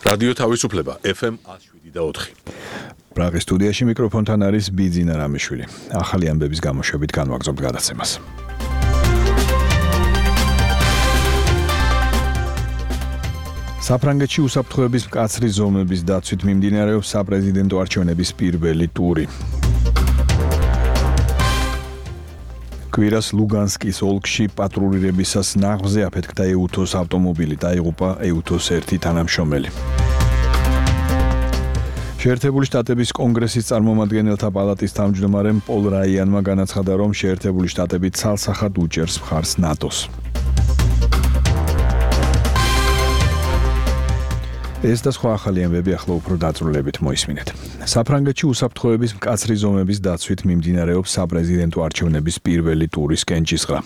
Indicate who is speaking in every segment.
Speaker 1: რადიო თავისუფლება FM 107.4.
Speaker 2: პრაღის სტუდიაში მიკროფონთან არის ბიძინა რამიშვილი. ახალი ამბების გამოშვებით განვაგრძობთ გადაცემას. საფრანგეთში უსაფრთხოების მკაცრი ზომების დაცვით მიმდინარეობს საპრეზიდენტო არჩევნების პირველი ტური. კვირას ლუგანსკის ოლქში პატრულირებისას ნაღმზე აფეთქდა ეუთოს ავტომობილი, დაიღუპა ეუთოს ერთი თანამშრომელი. შეერთებული შტატების კონგრესის წარმომადგენელთა პალატის თავმჯდომარემ პოლ რაიანმა განაცხადა, რომ შეერთებული შტატები ცალსახად უჭერს მხარს ნატოს. ეს და სხვა ახალი ამბები ახლა უფრო დაწვრილებით მოისმინეთ. საფრანგეთში უსაფრთხოების მკაცრი ზომების დაცვით მიმდინარეობს საპრეზიდენტო არჩევნების პირველი ტურის კენჭისყრა.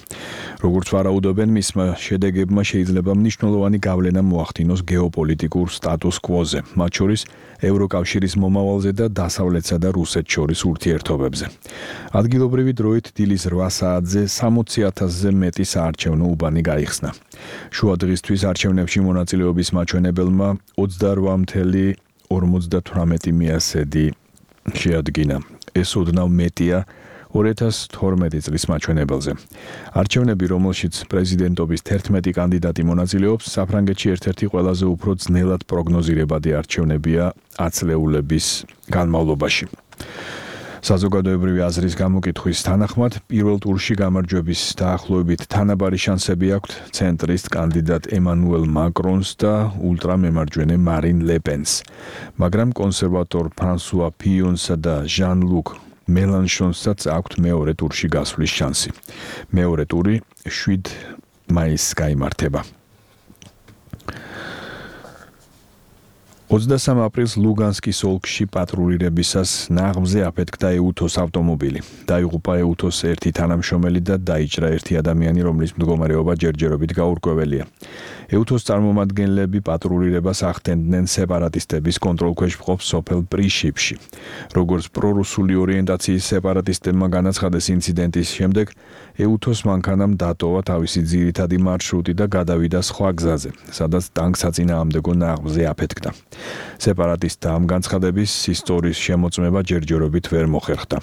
Speaker 2: როგორც ვარაუდობენ, მისმა შედეგებმა შეიძლება მნიშვნელოვანი გავლენა მოახდინოს გეოპოლიტიკურ სტატუს კვოზე, მათ შორის ევროკავშირის მომავალზე და დასავლეთსა და რუსეთს შორის ურთიერთობებზე. ადგილობრივი დროით დილის 8 საათზე 60,000-ზე მეტი საარჩევნო უბანი გაიხსნა. შუა დღისთვის არჩევნებში მონაწილეობის მაჩვენებელმა 28,58 შეადგინა. ეს ოდნავ მეტია 2012 წლის მაჩვენებელზე. არჩევნები, რომელშიც პრეზიდენტობის 11 კანდიდატი მონაწილეობს, საფრანგეთში ერთ-ერთი ყველაზე უფრო ძნელად პროგნოზირებადი არჩევნებია ათწლეულების განმავლობაში. საზოგადოებრივი აზრის გამოკითხვის თანახმად, პირველ ტურში გამარჯვების დაახლოებით თანაბარი შანსები აქვთ ცენტრის კანდიდატ ემანუელ მაკრონს და ულტრამემარჯვენე მარინ ლე პენს. მაგრამ კონსერვატორ ფრანსუა ფიონსა და ჟან-ლუკ მელანშონსაც აქვთ მეორე ტურში გასვლის შანსი. მეორე ტური 7 მაისს გაიმართება. 23 აპრილს ლუგანსკის ოლქში პატრულირებისას ნაღმზე აფეთქდა ეუთოს ავტომობილი. დაიღუპა ეუთოს ერთი თანამშრომელი და დაიჭრა ერთი ადამიანი, რომლის მდგომარეობა ჯერჯერობით გაურკვეველია. ეუთოს წარმომადგენლები პატრულირებას ახდენდნენ სეპარატისტების კონტროლქვეშ მყოფ სოფელ პრიშიპში. როგორც პრორუსული ორიენტაციის სეპარატისტებმა განაცხადეს ინციდენტის შემდეგ, ეუთოს მანქანამ დატოვა თავისი ძირითადი მარშრუტი და გადავიდა სხვა გზაზე, სადაც ტანკსაწინააღმდეგო ნაღმზე აფეთქდა. სეპარატისტთა ამ განცხადების ისტორიის შემოწმება ჯერჯერობით ვერ მოხერხდა.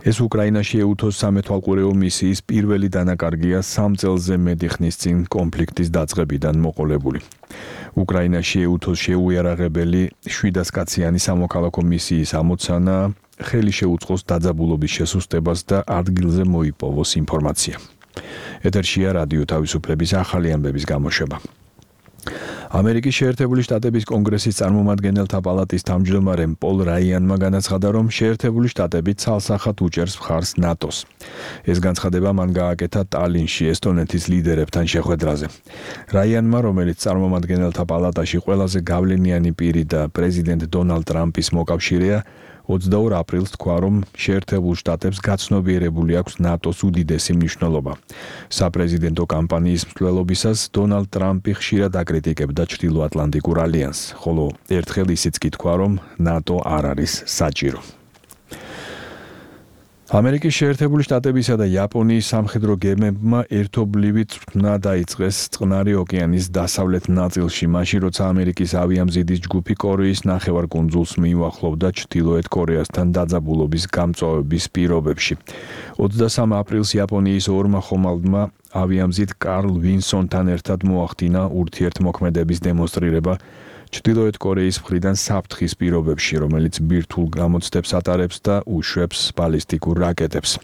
Speaker 2: ეს უკრაინაში ეუთოს სამეთვალყურეო მისიის პირველი დანაკარგია 3 წელზე მეტი ხნის წინ კონფლიქტის დაწყებიდან მოყოლებული. უკრაინაში ეუთოს შეუიარაღებელი 700 კაციანი სამოქალაქო მისიის ამოცანა ხელი შეუწყოს დაძაბულობის შესუსტებას და ადგილზე მოიპოვოს ინფორმაცია. ეთერშია რადიო თავისუფლების ახალი ამბების გამოშვება. ამერიკის შეერთებული შტატების კონგრესის წარმომადგენელთა პალატის თავმჯდომარემ პოლ რაიანმა განაცხადა, რომ შეერთებული შტატები ცალსახად უჭერს მხარს ნატოს. ეს განცხადება მან გააკეთა ტალინში ესტონეთის ლიდერებთან შეხვედრაზე. რაიანმა, რომელიც წარმომადგენელთა პალატაში ყველაზე გავლენიანი პირი და პრეზიდენტ დონალდ ტრამპის მოკავშირეა, 22 აპრილს თქვა, რომ შეერთებულ შტატებს გაცნობიერებული აქვს ნატოს უდიდესი მნიშვნელობა. საპრეზიდენტო კამპანიის მსვლელობისას დონალდ ტრამპი ხშირად აკრიტიკებდა ჩრდილოატლანტიკურ ალიანსს, ხოლო ერთხელ ისიც კი თქვა, რომ ნატო არ არის საჭირო. ამერიკის შეერთებული შტატებისა და იაპონიის სამხედრო გემებმა ერთობლივი წვრთნა დაიწყეს წყნარი ოკეანის დასავლეთ ნაწილში, მაშინ როცა ამერიკის ავიამზიდის ჯგუფი კორეის ნახევარკუნძულს მიუახლოვდა ჩრდილოეთ კორეასთან დაძაბულობის გამწვავების პირობებში. 23 აპრილს იაპონიის ორმა ხომალდმა ავიამზიდ კარლ ვინსონთან ერთად მოახდინა ურთიერთმოქმედების დემონსტრირება ჩრდილოეთ კორეის მხრიდან საფრთხის პირობებში, რომელიც ბირთვულ გამოცდებს ატარებს და უშვებს ბალისტიკურ რაკეტებს.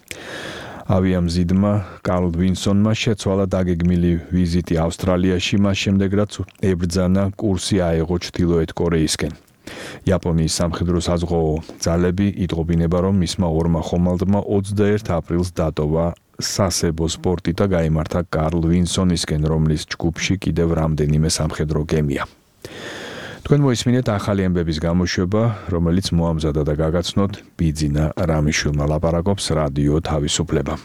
Speaker 2: ავიამზიდმა კარლ ვინსონმა შეცვალა დაგეგმილი ვიზიტი ავსტრალიაში, მას შემდეგ რაც ებრძანა კურსი აეღო ჩრდილოეთ კორეისკენ. იაპონიის სამხედრო საზღვაო ძალები იტყობინება, რომ მისმა ორმა ხომალდმა 21 აპრილს დატოვა სასებო სპორტი და გაიმართა კარლ ვინსონისკენ, რომლის ჯგუფში კიდევ რამდენიმე სამხედრო გემია. თქვენ მოისმინეთ ახალი ამბების გამოშვება, რომელიც მოამზადა და გაგაცნოთ ბიძინა რამიშვილმა. ლაპარაკობს რადიო თავისუფლება.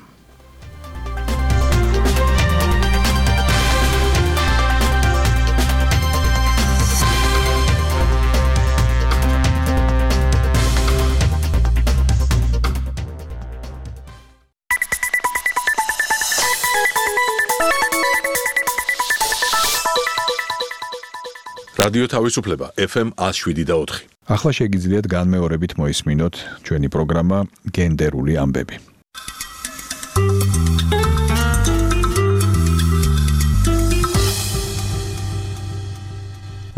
Speaker 1: რადიო თავისუფლება FM 107.4.
Speaker 2: ახლა შეგიძლიათ განმეორებით მოისმინოთ ჩვენი პროგრამა გენდერული ამბები.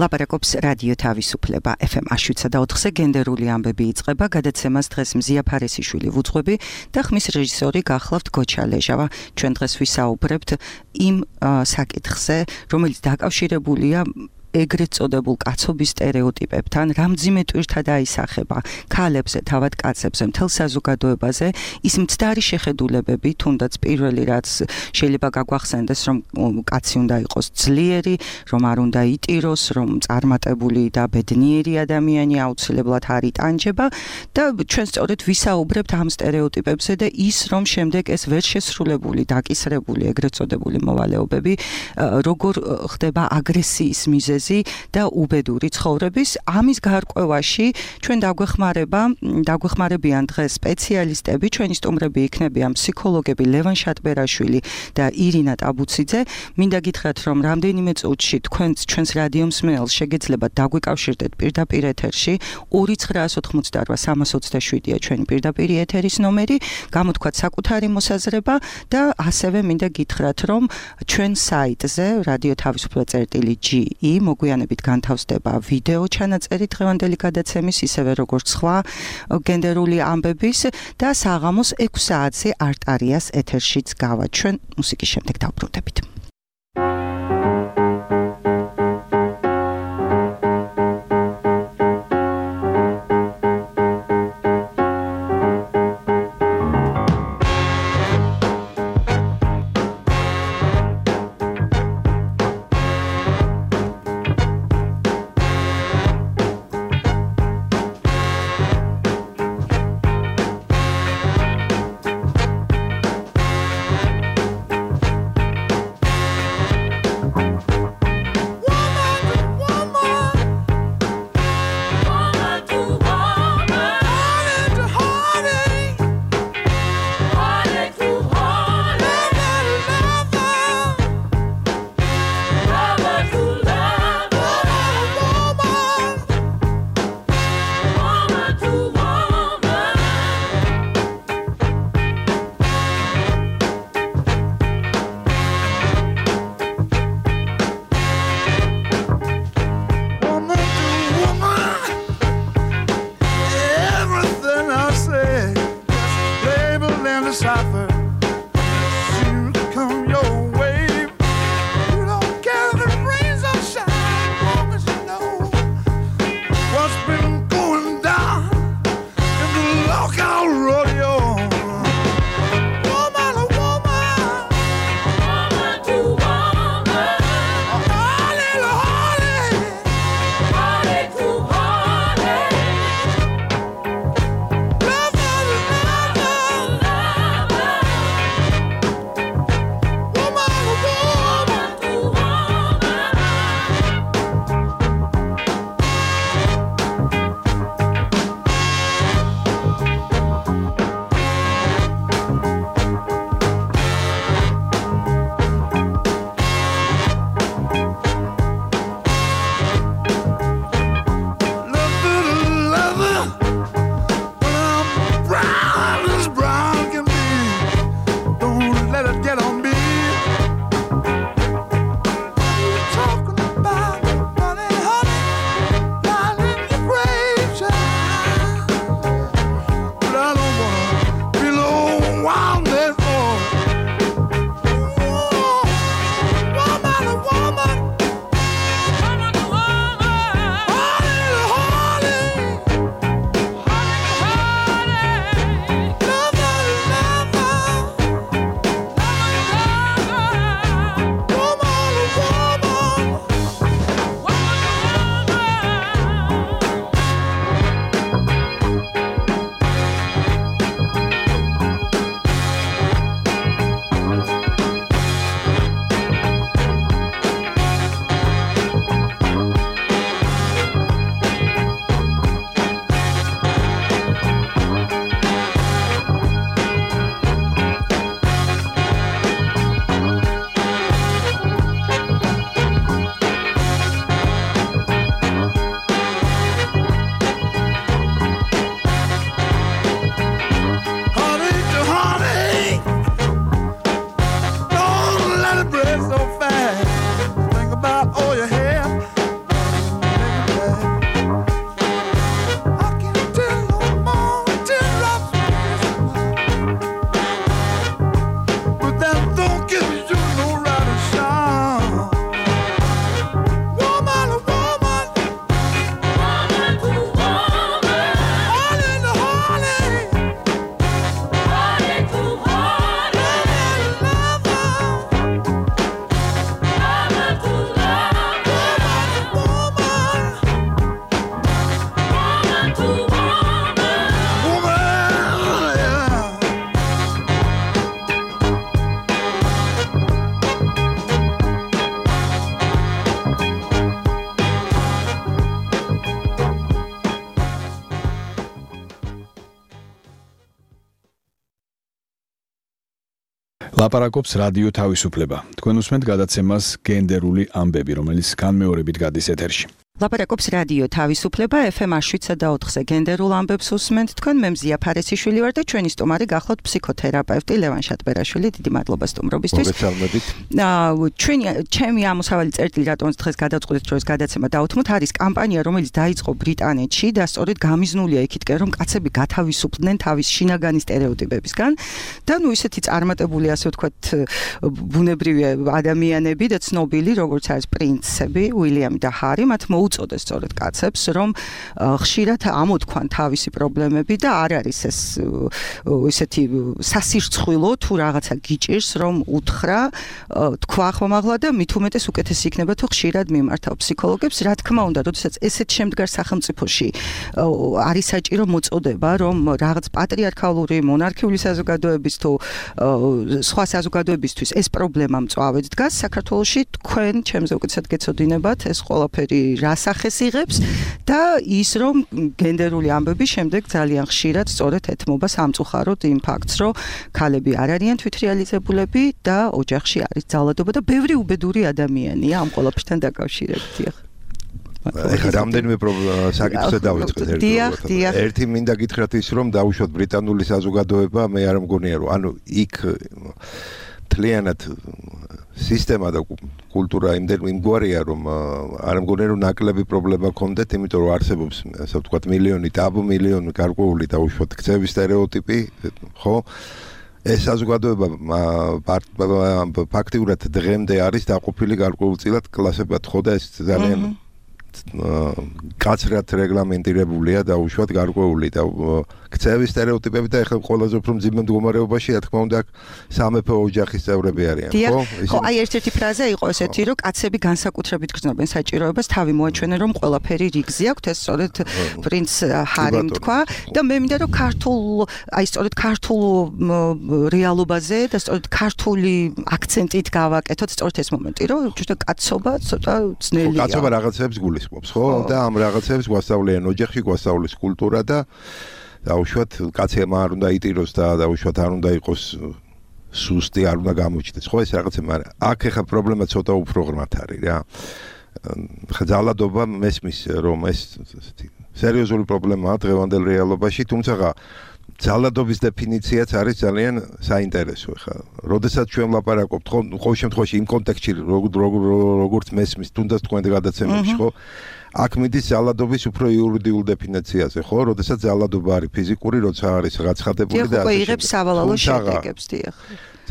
Speaker 3: ლაპარაკობს რადიო თავისუფლება FM 107.4-ზე გენდერული ამბები იწყება. გადაცემას დღეს მზია ფარესიშვილი ვუძღვები და ხმის რეჟისორი გახლავთ გოჩა ლეჟავა. ჩვენ დღეს ვისაუბრებთ იმ საკითხზე, რომელიც დაკავშირებულია ეგრეთ წოდებულ კაცობის სტერეოტიპებთან, რამძიმე ტვირთად აისახება ქალებზე, თავად კაცებზე, მთელ საზოგადოებაზე, ის მცდარი შეხედულებები, თუნდაც პირველი რაც შეიძლება გაგვახსენდეს, რომ კაცი უნდა იყოს ძლიერი, რომ არ უნდა იტიროს, რომ წარმატებული და ბედნიერი ადამიანი აუცილებლად არ იტანჯება და ჩვენ სწორედ ვისაუბრებთ ამ სტერეოტიპებზე და ის, რომ შემდეგ ეს ვერ შესრულებული, დაკისრებული ეგრეთ წოდებული მოვალეობები, როგორ ხდება აგრესიის მიზეზი და უბედური ცხოვრების. ამის გარკვევაში ჩვენ დაგვეხმარებიან დღეს სპეციალისტები, ჩვენი სტუმრები იქნებიან ფსიქოლოგები ლევან შატბერაშვილი და ირინა ტაბუციძე. მინდა გითხრათ, რომ რამდენიმე წუთში ჩვენს რადიო მსმენელს შეგეძლებათ დაგვიკავშირდეთ პირდაპირ ეთერში 2988327-ია ჩვენი პირდაპირი ეთერის ნომერი, გამოთქვათ საკუთარი მოსაზრება და ასევე მინდა გითხრათ, რომ ჩვენ საიტზე რადიო თავისუფლება.ge მოგვიანებით განთავსდება ვიდეო ჩანაწერი დღევანდელი გადაცემის, ისევე როგორც სხვა გენდერული ამბების და საღამოს 6 საათზე არტარიას ეთერშიც გავა. ჩვენ მუსიკის შემდეგ დავბრუნდებით.
Speaker 2: ლაპარაკობს რადიო თავისუფლება. თქვენ უსმენთ გადაცემას გენდერული ამბები, რომელიც განმეორებით გადის ეთერში.
Speaker 3: ლაპარაკობს რადიო თავისუფლება FM 107.4-ზე გენდერულ ამბებს უსმენთ. თქვენ მე მზია ფარესიშვილი ვარ და ჩვენი სტუმარი გახლავთ ფსიქოთერაპევტი ლევან შატბერაშვილი. დიდი მადლობა სტუმრობისთვის. ჩემი ამოსავალი წერტილი რატომაც დღეს გადავწყვეტით რომ ეს გადაცემა დავუთმოთ, არის კამპანია, რომელიც დაიწყო ბრიტანეთში და სწორედ გამიზნულია იქითკენ, რომ კაცები გათავისუფლდნენ თავის შინაგანი სტერეოტიპებისგან და ნუ ისეთი წარმატებული, ასე ვთქვათ, ბუნებრივი ადამიანები და ცნობილი, როგორც არის პრინცები, უილიამი და ჰარი, მათ უწოდეს სწორედ კაცებს, რომ ხშირად ამოთქვან თავისი პრობლემები და არ არის ეს ისეთი სასირცხვილო თუ რაღაცა გიჭირს, რომ უთხრა, თქვა ხმამაღლა და მით უმეტეს უკეთესი იქნება თუ ხშირად მიმართავ ფსიქოლოგებს. რა თქმა უნდა, როდესაც ესეთ შემდგარ სახელმწიფოში არის საჭირო მოწოდება, რომ რაღაც პატრიარქალური, მონარქიული საზოგადოების თუ სხვა საზოგადოებისთვის ეს პრობლემა მწვავედ დგას, საქართველოში თქვენ ჩემზე უკეთესად გეცოდინებათ ეს ყველაფერი რასახეს იღებს და ის რომ გენდერული ამბები შემდეგ ძალიან ხშირად სწორედ ეთმობა სამწუხაროდ იმ ფაქტს, რომ ქალები არ არიან თვითრეალიზებულები და ოჯახში არის ძალადობა და ბევრი უბედური ადამიანია ამ ყველაფერთან დაკავშირებით.
Speaker 4: ეხლა რამდენიმე საკითხზე დავიწყეთ ერთდროულად. ერთი მინდა გითხრათ ის, რომ დაუშვათ ბრიტანული საზოგადოება, მე არ მგონია, რომ ანუ იქ თლიანად სისტემა და კულტურა იმგვარია, რომ არ მგონია, რომ ნაკლები პრობლემა გქონდეთ, იმიტომ რომ არსებობს, ასე ვთქვათ, მილიონი ტაბუ, მილიონი გარკვეული დაუშვათ ქცევის სტერეოტიპი, ხო? ეს საზოგადოება ფაქტიურად დღემდე არის დაყოფილი გარკვეულწილად კლასებად, ხო და ეს ძალიან კაცრად რეგლამენტირებულია დაუშვათ გარკვეული და ქცევის სტერეოტიპები და ეხლა ყველაზე უფრო მძიმე მდგომარეობაში, რა თქმა უნდა, სამეფო ოჯახის წევრები არიან, ხო?
Speaker 3: ხო, აი ერთ-ერთი ფრაზა იყო ესეთი, რომ კაცები განსაკუთრებით გრძნობენ საჭიროებას, თავი მოაჩვენენ, რომ ყველაფერი რიგზე აქვთ, ეს სწორედ პრინც ჰარიმ თქვა და მე მინდა რომ სწორედ ქართულ რეალობაზე და სწორედ ქართული აქცენტით გავაკეთოთ სწორედ ეს მომენტი, რომ ჯერ კაცობა ცოტა ძნელია.
Speaker 4: კაცობა რაღაცებს გულისხმობს, ხო? და ამ რაღაცებს გვასწავლიან ოჯახში, გვასწავლის კულტურა და დაუშვათ კაცებმა არ უნდა იტიროს და დაუშვათ არ უნდა იყოს სუსტი, არ უნდა გამოჩნდეს. ხო, ეს რაღაცა, მაგრამ აქ ეხა პრობლემა ცოტა უფრო ღრმად არის რა. ხა ძალადობა მესმის, რომ ეს სერიოზული პრობლემაა დღევანდელ რეალობაში, თუმცა ძალადობის დეფინიციაც არის ძალიან საინტერესო ხა. როდესაც ჩვენ ვლაპარაკობთ, ხო, ყოველ შემთხვევაში იმ კონტექსტში როგორც მესმის, თუნდაც თქვენ გადაცემებში, ხო? აქ მიდის ძალადობის უფრო იურიდიულ დეფინიციაზე, ხო? როდესაც ძალადობა არის ფიზიკური, როცა არის გაცხადებული და
Speaker 3: ასე იღებს სავალალო შედეგებს, დიახ.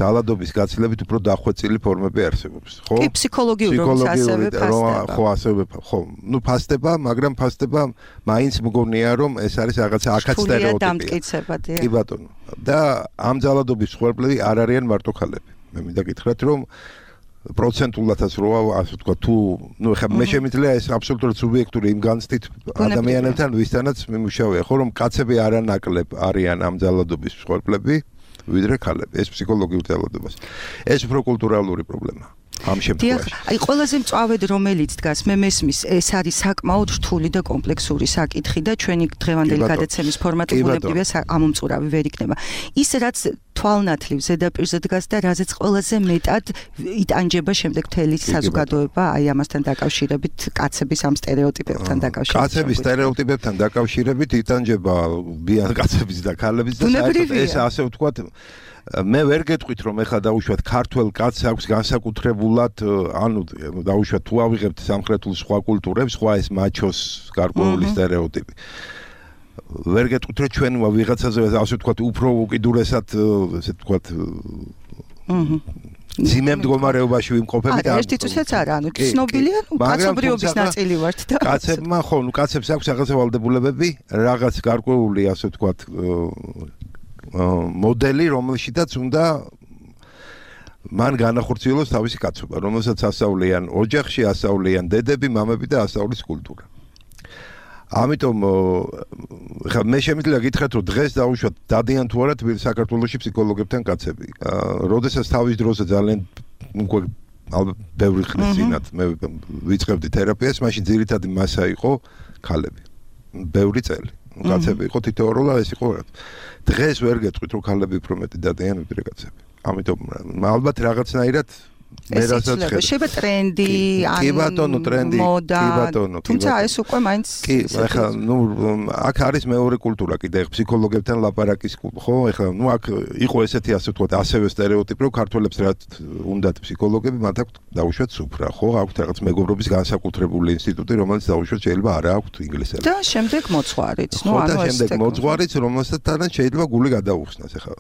Speaker 4: ძალადობის გაცილებით უფრო დახვეწილი ფორმები არსებობს, ხო?
Speaker 3: კი, ფსიქოლოგიურად ასევე ფასდება.
Speaker 4: ხო, ასევე, ხო. ნუ ფასდება, მაგრამ ფასდება მაინც მგონია, რომ ეს არის რაღაცა აქაც სტერეოტიპია.
Speaker 3: დამტკიცება, დიახ.
Speaker 4: კი ბატონო. და ამ ძალადობის მსხვერპლები არ არიან მარტო ქალები. მე მინდა გითხრათ, რომ პროცენტულადაც როა, ასე ვთქვა, თუ ნუ ხა მე შემიძლია ეს აბსოლუტურად სუბიექტური იმ განცდით ადამიანებთან ვისთანაც მიმუშავია, ხო, რომ კაცები არანაკლებ არიან ამ ძალადობის მსხვერპლები, ვიდრე ქალები. ეს ფსიქოლოგიური ძალადობა. ეს უფრო კულტურალური პრობლემაა. ამ შემთხვევაში.
Speaker 3: აი ყველაზე მწვავედ რომელიც დგას, მე მესმის, ეს არის საკმაოდ რთული და კომპლექსური საკითხი და ჩვენი დღევანდელი გადაცემის ფორმატი ბუნებრივია ამომწურავი ვერ იქნება. ის რაც თვალნათლივ ზედაპირზე დგას და რაზეც ყველაზე მეტად იტანჯება შემდეგ მთელი საზოგადოება აი ამასთან დაკავშირებით, კაცების ამ სტერეოტიპებთან დაკავშირებით.
Speaker 4: კაცების სტერეოტიპებთან დაკავშირებით იტანჯება ბიან კაცების და ქალების და საერთოდ ეს ასე ვთქვათ მე ვერ გეტყვით რომ ეხლა დაუშვათ ქართველ კაცს აქვს განსაკუთრებულად ანუ დაუშვათ თუ ავიღებთ სამხრეთულ სხვა კულტურებს სხვა ეს მაჩოს გარკვეული სტერეოტიპი ვერ გეტყვით რომ ჩვენ ვიღაცაზე ასე ვთქვათ უფრო უკიდურესად ესე ვთქვათ ძიმე მდგომარეობაში ვიმყოფებით
Speaker 3: არა ერთი წუთიც არა ანუ ცნობილია კაცობრიობის ნაწილი ვართ და
Speaker 4: კაცებმა ხო ნუ კაცებს აქვს რაღაცა ვალდებულებები რაღაც გარკვეული ასე ვთქვათ მოდელი რომელშიც უნდა მან განახორციელოს თავისი კაცობა რომელსაც ასავლიან ოჯახში ასავლიან დედები მამები და ასავლის კულტურა ამიტომ ხა მე შემიძლია გითხრათ რომ დღეს დაუშვათ დადიან თუ არა საქართველოში ფსიქოლოგებთან კაცები როდესაც თავის დროზე ძალიან უკვე ალბათ ბევრი ხნის წინათ მე ვიწყებდი თერაპიას მაშინ ძირითადი მასა იყო ქალები ბევრი წელი კაცები იყო თითოეულა ეს იყო დღეს ვერ გეტყვით რომ ქალები უფრო მეტი დადიან ვიდრე კაცები ამიტომ ალბათ რაღაცნაირად მე რასაც ხედავ.
Speaker 3: შეიძლება ტრენდი, მოდა. თუმცა ეს უკვე მაინც
Speaker 4: ეხლა აქ არის მეორე კულტურა კიდე ფსიქოლოგებთან ლაპარაკის ხო? ეხლა აქ იყო ესეთი ასე ვთქვათ, ასევე სტერეოტიპი, რომ ქართველებს რაც უნდათ ფსიქოლოგები, მათ აქვთ დაუშვათ სუფრა, ხო? აქვთ რაღაც მეგობრობის განსაკუთრებული ინსტიტუტი, რომელიც დაუშვათ შეიძლება არა აქვთ ინგლისელი.
Speaker 3: და შემდეგ მოძღვარიც,
Speaker 4: და შემდეგ მოძღვარიც, რომელსაც შეიძლება გული გადაუხსნას, ეხლა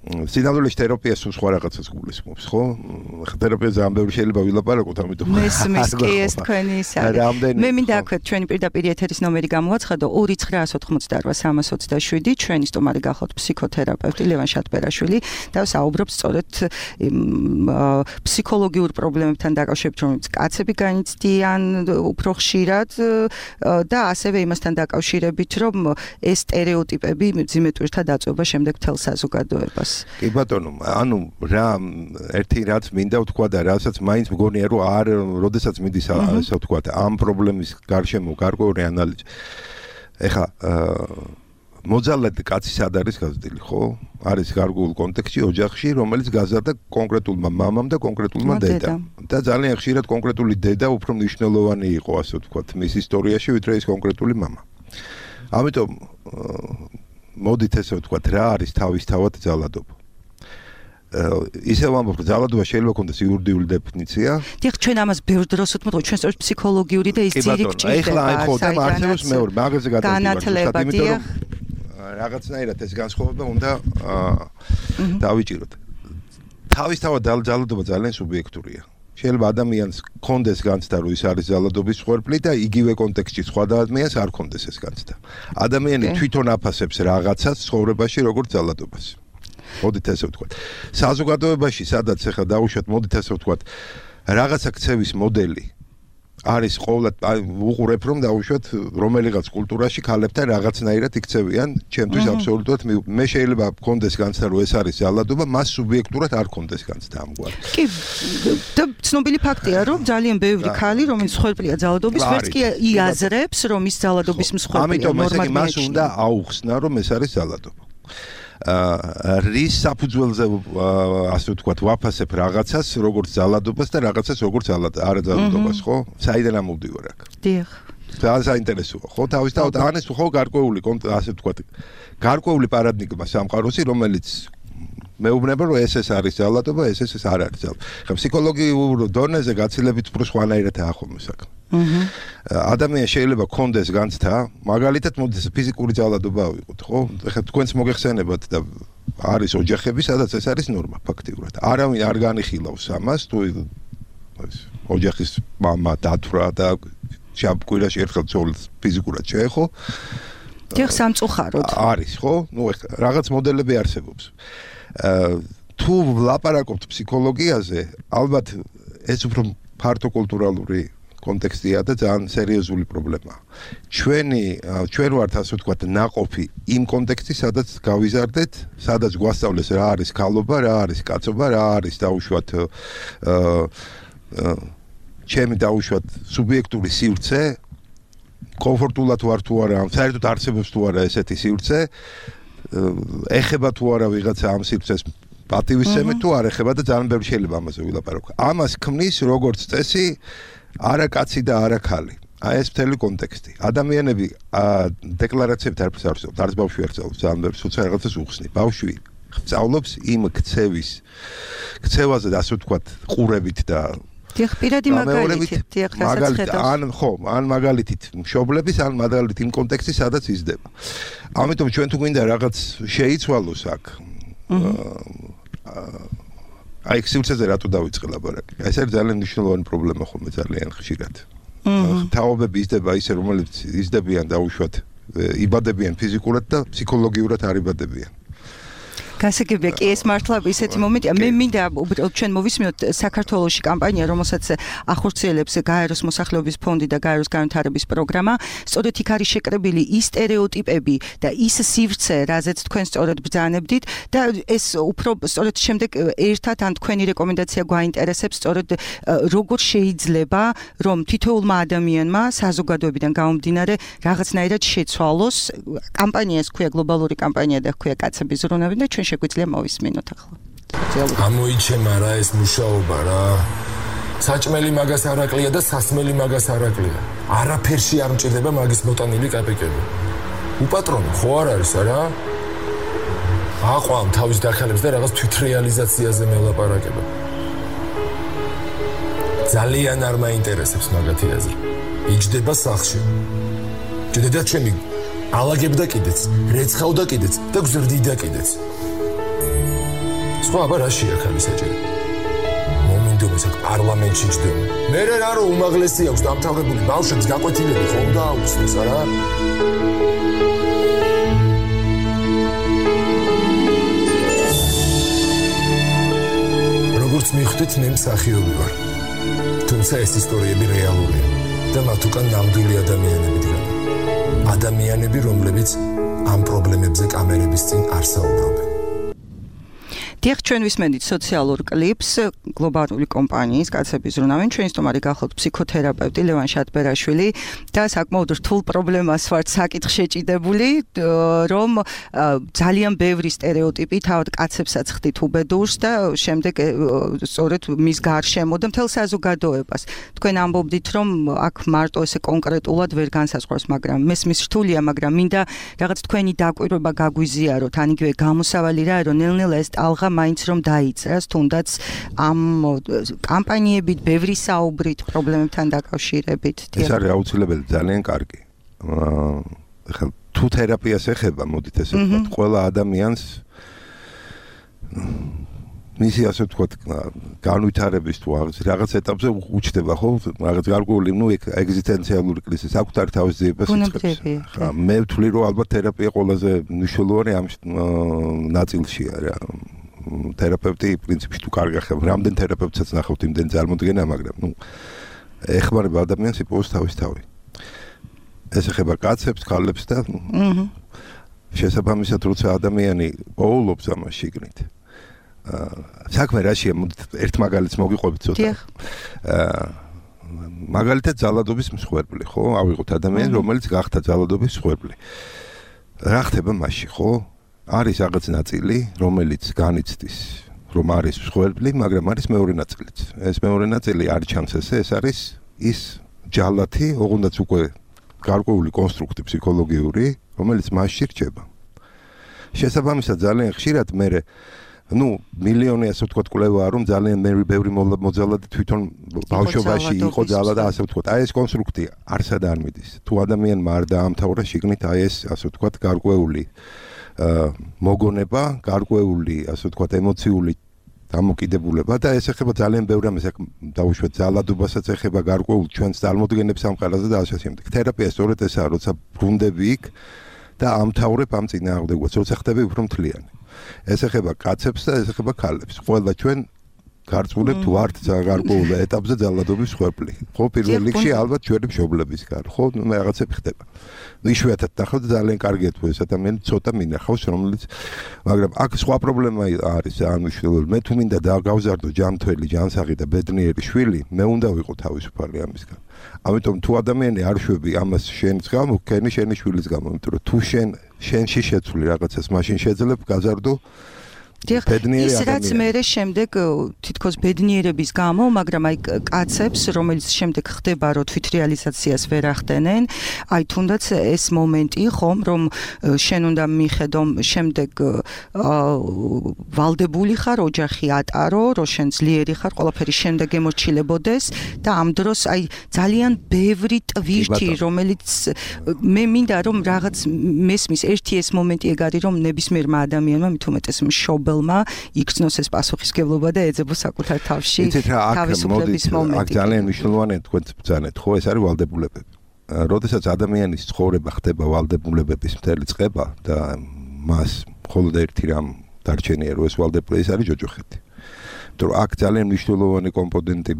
Speaker 4: სინამდვილეში თერაპია სულ სხვა რაღაცას გულისხმობს, ხო? თერაპია ძალიან ბევრი შეიძლება ვილაპარაკოთ, ამიტომ
Speaker 3: მესმის კი ეს თქვენი ის არის. მე მინდა აქვეთ ჩვენი პირდაპირ ეთერის ნომერი გამოვაცხადო 2988327 ჩვენი სტუმარი გახლავთ ფსიქოთერაპევტი ლევან შატბერაშვილი და საუბრობთ სწორედ ფსიქოლოგიურ პრობლემებთან დაკავშირებით, რომელიც კაცები განიცდიან უფრო ხშირად და ასევე იმასთან დაკავშირებით, რომ ეს სტერეოტიპები ძიმეთურთა დაწובה შემდეგ მთელ საზოგადოებას.
Speaker 4: კი ბატონო, ანუ რა ერთი რაც მინდა ვთქვა და რასაც მაინც მგონია რომ არ როდესაც მიდის ასე ვთქვა ამ პრობლემის გარშემო გარკვეული ანალიზი. ეხლა მოძალად კაცი სად არის გაზრდილი, ხო? არის გარკვეულ კონტექსტში ოჯახში, რომელიც გაზარდა კონკრეტულმა მამამ და კონკრეტულმა დედამ. და ძალიან ხშირად კონკრეტული დედა უფრო მნიშვნელოვანი იყო, ასე ვთქვა, მის ისტორიაში, ვიდრე ის კონკრეტული მამა. ამიტომ მოდით ესე ვთქვათ, რა არის თავისთავად ძალადობა. ისე ვამბობ, რომ ძალადობა შეიძლება ქონდეს იურიდიული დეფინიცია.
Speaker 3: დიახ, ჩვენ ამას ბევრ დროს ვთქვით, ჩვენ სწორედ ფსიქოლოგიური და ის ძირი გჭირდება.
Speaker 4: ეხლა აი ხო და არსებობს მეორე, მაგაზე გადავიდეთ. იმიტომ რომ რაღაცნაირად ეს განსხვავება უნდა დავიჭიროთ. თავისთავად ძალადობა ძალიან სუბიექტურია. შეიძლება ადამიანს კონდეს განცდა, რომ ის არის ძალადობის მსხვერპლი და იგივე კონტექსტში სხვა ადამიანს არ კონდეს ეს განცდა. ადამიანი თვითონ აფასებს რაღაცას ცხოვრებაში როგორც ძალადობას. მოდით ესე ვთქვათ. საზოგადოებაში, სადაც ახლა დავუშვათ, მოდით ესე ვთქვათ, რაღაცა ქცევის მოდელი არის ყოველად უყურებ რომ დავუშვათ რომელიღაც კულტურაში ქალებთან რაღაცნაირად იქცევიან, ჩემთვის აბსოლუტურად მე შეიძლება მქონდეს განცდა რომ ეს არის ძალადობა, მას სუბიექტურად არ მქონდეს განცდა ამგვარი.
Speaker 3: კი, და ცნობილი ფაქტია რომ ძალიან ბევრი ქალი რომელიც მსხვერპლია ძალადობის, ვერც კი იაზრებს რომ ის ძალადობის მსხვერპლია.
Speaker 4: ამიტომ მას უნდა აუხსნა რომ ეს არის ძალადობა. რის საფუძველზე ასე ვთქვათ ვაფასებ რაღაცას როგორც ძალადობას და რაღაცას როგორც არა ძალადობას, ხო? საიდან ამოვდივარ აქ?
Speaker 3: დიახ.
Speaker 4: ძალიან საინტერესოა, ხო? თავისთავად ანეს ხო გარკვეული ასე ვთქვათ გარკვეული პარადიგმა სამყაროსი, რომელიც მეუბნება რომ ეს არის ძალადობა, ეს არ არის ძალადობა. ხა ფსიქოლოგიურ დონეზე გაცილებით უფრო სხვანაირად ახome საქმე. ადამიანს შეიძლება კონდეს განცდა, მაგალითად მოდის ფიზიკური ძალადობა ავიღოთ, ხო? ხა თქვენს მოგეხსენებათ და არის ოჯახები, სადაც ეს არის ნორმა ფაქტიურად. არავინ არ განიხილავს ამას, თუ ოჯახის მამა დათვრა და კვირაში ერთხელ ცოლს ფიზიკურად შეეხო.
Speaker 3: დიახ, სამწუხაროდ.
Speaker 4: არის, ხო? ნუ რაღაც მოდელები არსებობს. თუ ვლაპარაკობთ ფსიქოლოგიაზე, ალბათ ეს უფრო ფართო კულტურალური კონტექსტია და ძალიან სერიოზული პრობლემაა. ჩვენ ვართ ასე ვთქვათ ნაყოფი იმ კონტექსტში, სადაც გავიზარდეთ, სადაც გვასწავლეს რა არის ქალობა, რა არის კაცობა, რა არის დაუშვათ ჩემი დაუშვათ სუბიექტური სივრცე, კომფორტულად ვარ თუ არა, საერთოდ არსებობს თუ არა ესეთი სივრცე, ეხება თუ არა ვიღაცა ამ სივრცეს პატივისცემით თუ არ ეხება და ძალიან ბევრი შეიძლება ამაზე ვილაპარაკო. ამას ქმნის როგორც წესი არა კაცი და არა ქალი. აი ეს მთელი კონტექსტი. ადამიანები დეკლარაციებით არც არ ვსწავლობთ, არც ბავშვი არ სწავლობს, ძალიან ბევრი სულ რაღაცას უხსნი. ბავშვი სწავლობს იმ ქცევაზე და ასე ვთქვათ, ყურებით და
Speaker 3: დიახ, პირადი მაგალითით, დიახ, რასაც ხედავს.
Speaker 4: ან მაგალითით მშობლების, ან მაგალითით იმ კონტექსტში, სადაც იზრდება. ამიტომ ჩვენ თუ გვინდა რაღაც შეიცვალოს აქ. აი ქსილცეზე რატო დავიწყე ლაპარაკი? ეს არის ძალიან მნიშვნელოვანი პრობლემა ხოლმე ძალიან ხშირად. თაობები იზრდება ისე, რომელიც იზრდებიან დაუშვათ, იბადებიან ფიზიკურად და ფსიქოლოგიურად არ იბადებიან.
Speaker 3: გასაგებია, კი ეს მართლა ისეთი მომენტია. მე მინდა ჩვენ მოვისმინოთ საქართველოში კამპანია, რომელსაც ახორციელებს გაეროს მოსახლეობის ფონდი და გაეროს განვითარების პროგრამა. სწორედ იქ არის შეკრებილი ის სტერეოტიპები და ის სივრცე, რაზეც თქვენ სწორედ ბრძანებდით და ეს უფრო სწორედ შემდეგ ერთად ან თქვენი რეკომენდაცია გვაინტერესებს სწორედ როგორ შეიძლება რომ თითოეულმა ადამიანმა საზოგადოებიდან გამომდინარე რაღაცნაირად შეცვალოს. კამპანია ეს ქვია გლობალური კამპანია და ქვია კაცების ზრუნავი და ჩვენ შეგვიძლია მოვისმინოთ ახლა. სოციალურ.
Speaker 5: ამოიჩემა რა ეს მუშაობა რა. საჭმელი მაგას არაკლია და სასმელი მაგას არაკლია. არაფერში არ მჭირდება მაგის მოტანილი კაპიკები. უპატრონო ხო არ არის არა? აყვამ თავის დახალებს და რაღაც თვითრეალიზაციაზე მელაპარაკება. ძალიან არ მაინტერესებს მაგათი აზრი. იჯდება სახლში. ჯდედა ჩემი ალაგებდა კიდეც, რეცხავდა კიდეც და გზრდიდა კიდეც. სხვა აბა რაში აქ არის საჭირო? მომინდომეს აქ პარლამენტში ჯდება. მე რა რო უმაღლესი აქვს დამთავრებული ბავშვებს გაკვეთილები ხომ დააუხსნეს არა? როგორც მიხვდით, მე მსახიობი ვარ. თუმცა ეს ისტორიები რეალურია და მათ უკან ნამდვილი ადამიანები დგანან. ადამიანები, რომლებიც ამ პრობლემებზე კამერების წინ არ საუბრობენ.
Speaker 3: დიახ, ჩვენ ვისმენთ სოციალურ კლიპს გლობალური კომპანიის კაცების ზრუნავენ. ჩვენი სტუმარი გახლავთ ფსიქოთერაპევტი ლევან შატბერაშვილი და საკმაოდ რთულ პრობლემას ვართ საკითხ შეჭიდებული, რომ ძალიან ბევრი სტერეოტიპი თავად კაცებსაც ხდით უბედურს და შემდეგ სწორედ მის გარშემო და მთელ საზოგადოებას. თქვენ ამბობდით, რომ აქ მარტო ესე კონკრეტულად ვერ განსაზღვრავს, მაგრამ მესმის რთულია, მაგრამ მინდა რაღაც თქვენი დაკვირვება გაგვიზიაროთ, ან იგივე გამოსავალი რა, რომ ნელ-ნელა ეს ტალღა მაინც რომ დაიწერას, თუნდაც ამ კამპანიებით, ბევრი საუბრით, პრობლემებთან დაკავშირებით.
Speaker 4: ეს არის აუცილებელი, ძალიან კარგი. ხა თუ თერაპიას ეხება, მოდით ესე ვთქვათ, ყველა ადამიანს მისი ასე ვთქვათ, განვითარების თუ რაღაც ეტაპზე უჩნდება ხო, რაღაც გარკვეული, ეგზისტენციალური კრიზისი, საკუთარი თავის ძიებას იწყებს. ხა მე ვთვლი, რომ ალბათ თერაპია ყველაზე მნიშვნელოვანი ამ ნაწილშია რა. თერაპევტი პრინციპში თუ კარგი ახლა რამდენ თერაპევტსაც ნახავთ იმდენ წარმოდგენა, მაგრამ ეხმარება ადამიანს იპოვოს თავის თავი. ეს ეხება კაცებს, ქალებს და შესაბამისად როცა ადამიანი პოულობს ამას შიგნით. საქმე რაშია, ერთ მაგალითს მოგიყვებით ცოტა. მაგალითად ძალადობის მსხვერპლი, ხო? ავიღოთ ადამიანი, რომელიც გახდა ძალადობის მსხვერპლი. რა ხდება მასში, ხო? არის რაღაც ნაწილი, რომელიც განიცდის, რომ არის მსხვერპლი, მაგრამ არის მეორე ნაწილიც. ეს მეორე ნაწილი არ ჩანს ესე, ეს არის ის ჯალათი, ოღონდაც უკვე გარკვეული კონსტრუქტი ფსიქოლოგიური, რომელიც მასში რჩება. შესაბამისად ძალიან ხშირად მე მილიონი ასე ვთქვათ კვლევაა, რომ ძალიან ბევრი მოძალადი თვითონ ბავშვობაში იყო ძალა და ასე ვთქვათ. აი ეს კონსტრუქტი არსად არ მიდის. თუ ადამიანმა არ დაამთავრა შიგნით აი ეს ასე ვთქვათ გარკვეული მოგონება, გარკვეული ასე ვთქვათ ემოციული დამოკიდებულება და ეს ეხება ძალიან ბევრ ამას, დავუშვათ ძალადობასაც ეხება გარკვეულ ჩვენს წარმოდგენებს ამ ყალაზე და ასე შემდეგ. თერაპია სწორედ ესაა, როცა ბრუნდები იქ და ამთავრებ ამ წინააღმდეგობას, როცა ხდები უფრო მთლიანი. ეს ეხება კაცებს და ეს ეხება ქალებს. ყველა ჩვენ გარწმუნებთ ვართ გარკვეულ ეტაპზე ძალადობის მსხვერპლი. ხო, პირველ რიგში ალბათ ჩვენი მშობლების გარ, ხო, რაღაცები ხდება. იშვიათად ნახავთ ძალიან კარგია თუ ეს ადამიანი ცოტა მინახავს, რომელიც მაგრამ აქ სხვა პრობლემა არის ძალიან მნიშვნელოვანი. მე თუ მინდა გავზარდო ჯანმრთელი, ჯანსაღი და ბედნიერი შვილი, მე უნდა ვიყო თავისუფალი ამისგან. ამიტომ თუ ადამიანი არ შვები ამას შენის გამო, ქენი შენი შვილის გამო, იმიტომ რომ თუ შენში შეცვლი რაღაცას, მაშინ შეძლებ გაზარდო
Speaker 3: ის რაც მერე შემდეგ თითქოს ბედნიერების გამო, მაგრამ აი კაცებს, რომელიც შემდეგ ხდება, რომ თვითრეალიზაციას ვერ ახდენენ, აი თუნდაც ეს მომენტი ხომ, რომ შენ უნდა მიხედო შემდეგ ვალდებული ხარ, ოჯახი ატარო, რომ შენ ძლიერი ხარ, ყველაფერი შემდეგ ემორჩილებოდეს და ამ დროს აი ძალიან ბევრი ტვირთი, რომელიც მე მინდა რომ რაღაც მესმის ერთი ეს მომენტი ეგ არის, რომ ნებისმიერმა ადამიანმა მით უმეტეს მშობელმა იქცნოს ეს პასუხისმგებლობა და ეძებოს საკუთარ თავში თავისუფლების მომენტი.
Speaker 4: აქ ძალიან მნიშვნელოვანია თქვენ ბრძანეთ, ხო, ეს არის ვალდებულებები. როდესაც ადამიანის ცხოვრება ხდება ვალდებულებების მთელი წყება და მას მხოლოდ ერთი რამ დარჩენია, რომ ეს ვალდებულება ეს არის ჯოჯოხეთი. იმიტომ რომ აქ ძალიან მნიშვნელოვანი კომპონენტი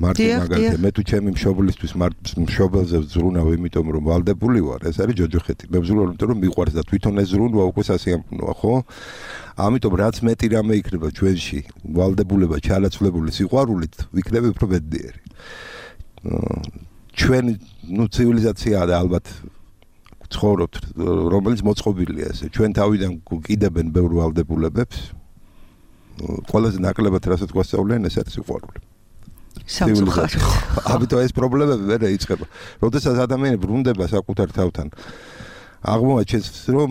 Speaker 4: მარტო მაგალითად მე თუ ჩემი მშობლისთვის მშობელზე ვზრუნავ, იმიტომ რომ ვალდებული ვარ, ეს არის ჯოჯოხეთი. მე ვზრუნავ, იმიტომ რომ მიყვარს და თვითონ ეს ზრუნვა უკვე სასიამოვნოა, ხო? ამიტომ რაც მეტი რამე იქნება ჩვენში ვალდებულება ჩალაცვლებული სიყვარულით, ვიქნები უფრო ბედნიერი. ჩვენ ცივილიზაცია და ალბათ ცხოვრობთ, რომელიც მოწყობილია ესე. ჩვენ თავიდან გიდებენ ბევრ ვალდებულებებს. ყველაზე ნაკლებად რასაც გვასწავლიან ეს არის სიყვარული.
Speaker 3: სამწუხაროდ.
Speaker 4: ამიტომ ეს პრობლემები ვერ იწყება. როდესაც ადამიანები ბრუნდება საკუთარ თავთან აღმოაჩენს რომ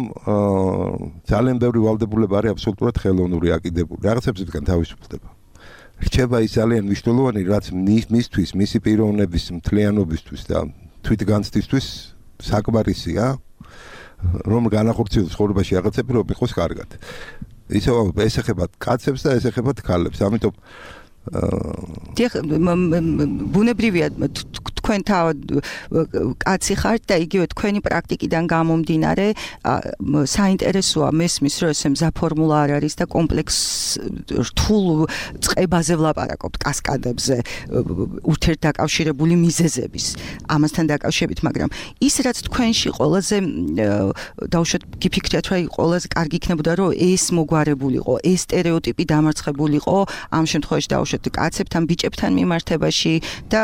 Speaker 4: ძალიან ბევრი ვალდებულება არის აბსოლუტურად ხელოვნური აკიდებული. რაღაცებისგან თავისუფლდება. რჩება ის ძალიან მნიშვნელოვანი რაც მისთვის, მისი პიროვნების მთლიანობისთვის და თვითგანცდისთვის საკმარისია, რომ განახორციელოს ცხოვრებაში რაღაცები რომ იყოს კარგად. ისევ ეს ეხება კაცებს და ეს ეხება ქალებს. ამიტომ
Speaker 3: ბუნებრივია თქვენ თავად კაცი ხართ და იგივე თქვენი პრაქტიკიდან გამომდინარე საინტერესოა მესმის რომ ესე მზა ფორმულა არ არის და კომპლექს რთულ წყებაზე ვლაპარაკობთ კასკადებზე ურთიერთდაკავშირებული მიზეზების ამასთან დაკავშირებით მაგრამ ის რაც თქვენში ყველაზე დაუშვათ გიფიქრეთ რომ ყველაზე კარგი იქნებოდა რომ ეს მოგვარებულიყო ეს სტერეოტიპი დამარცხებულიყო ამ შემთხვევაში დაუშვათ კაცებთან ბიჭებთან მიმართებაში და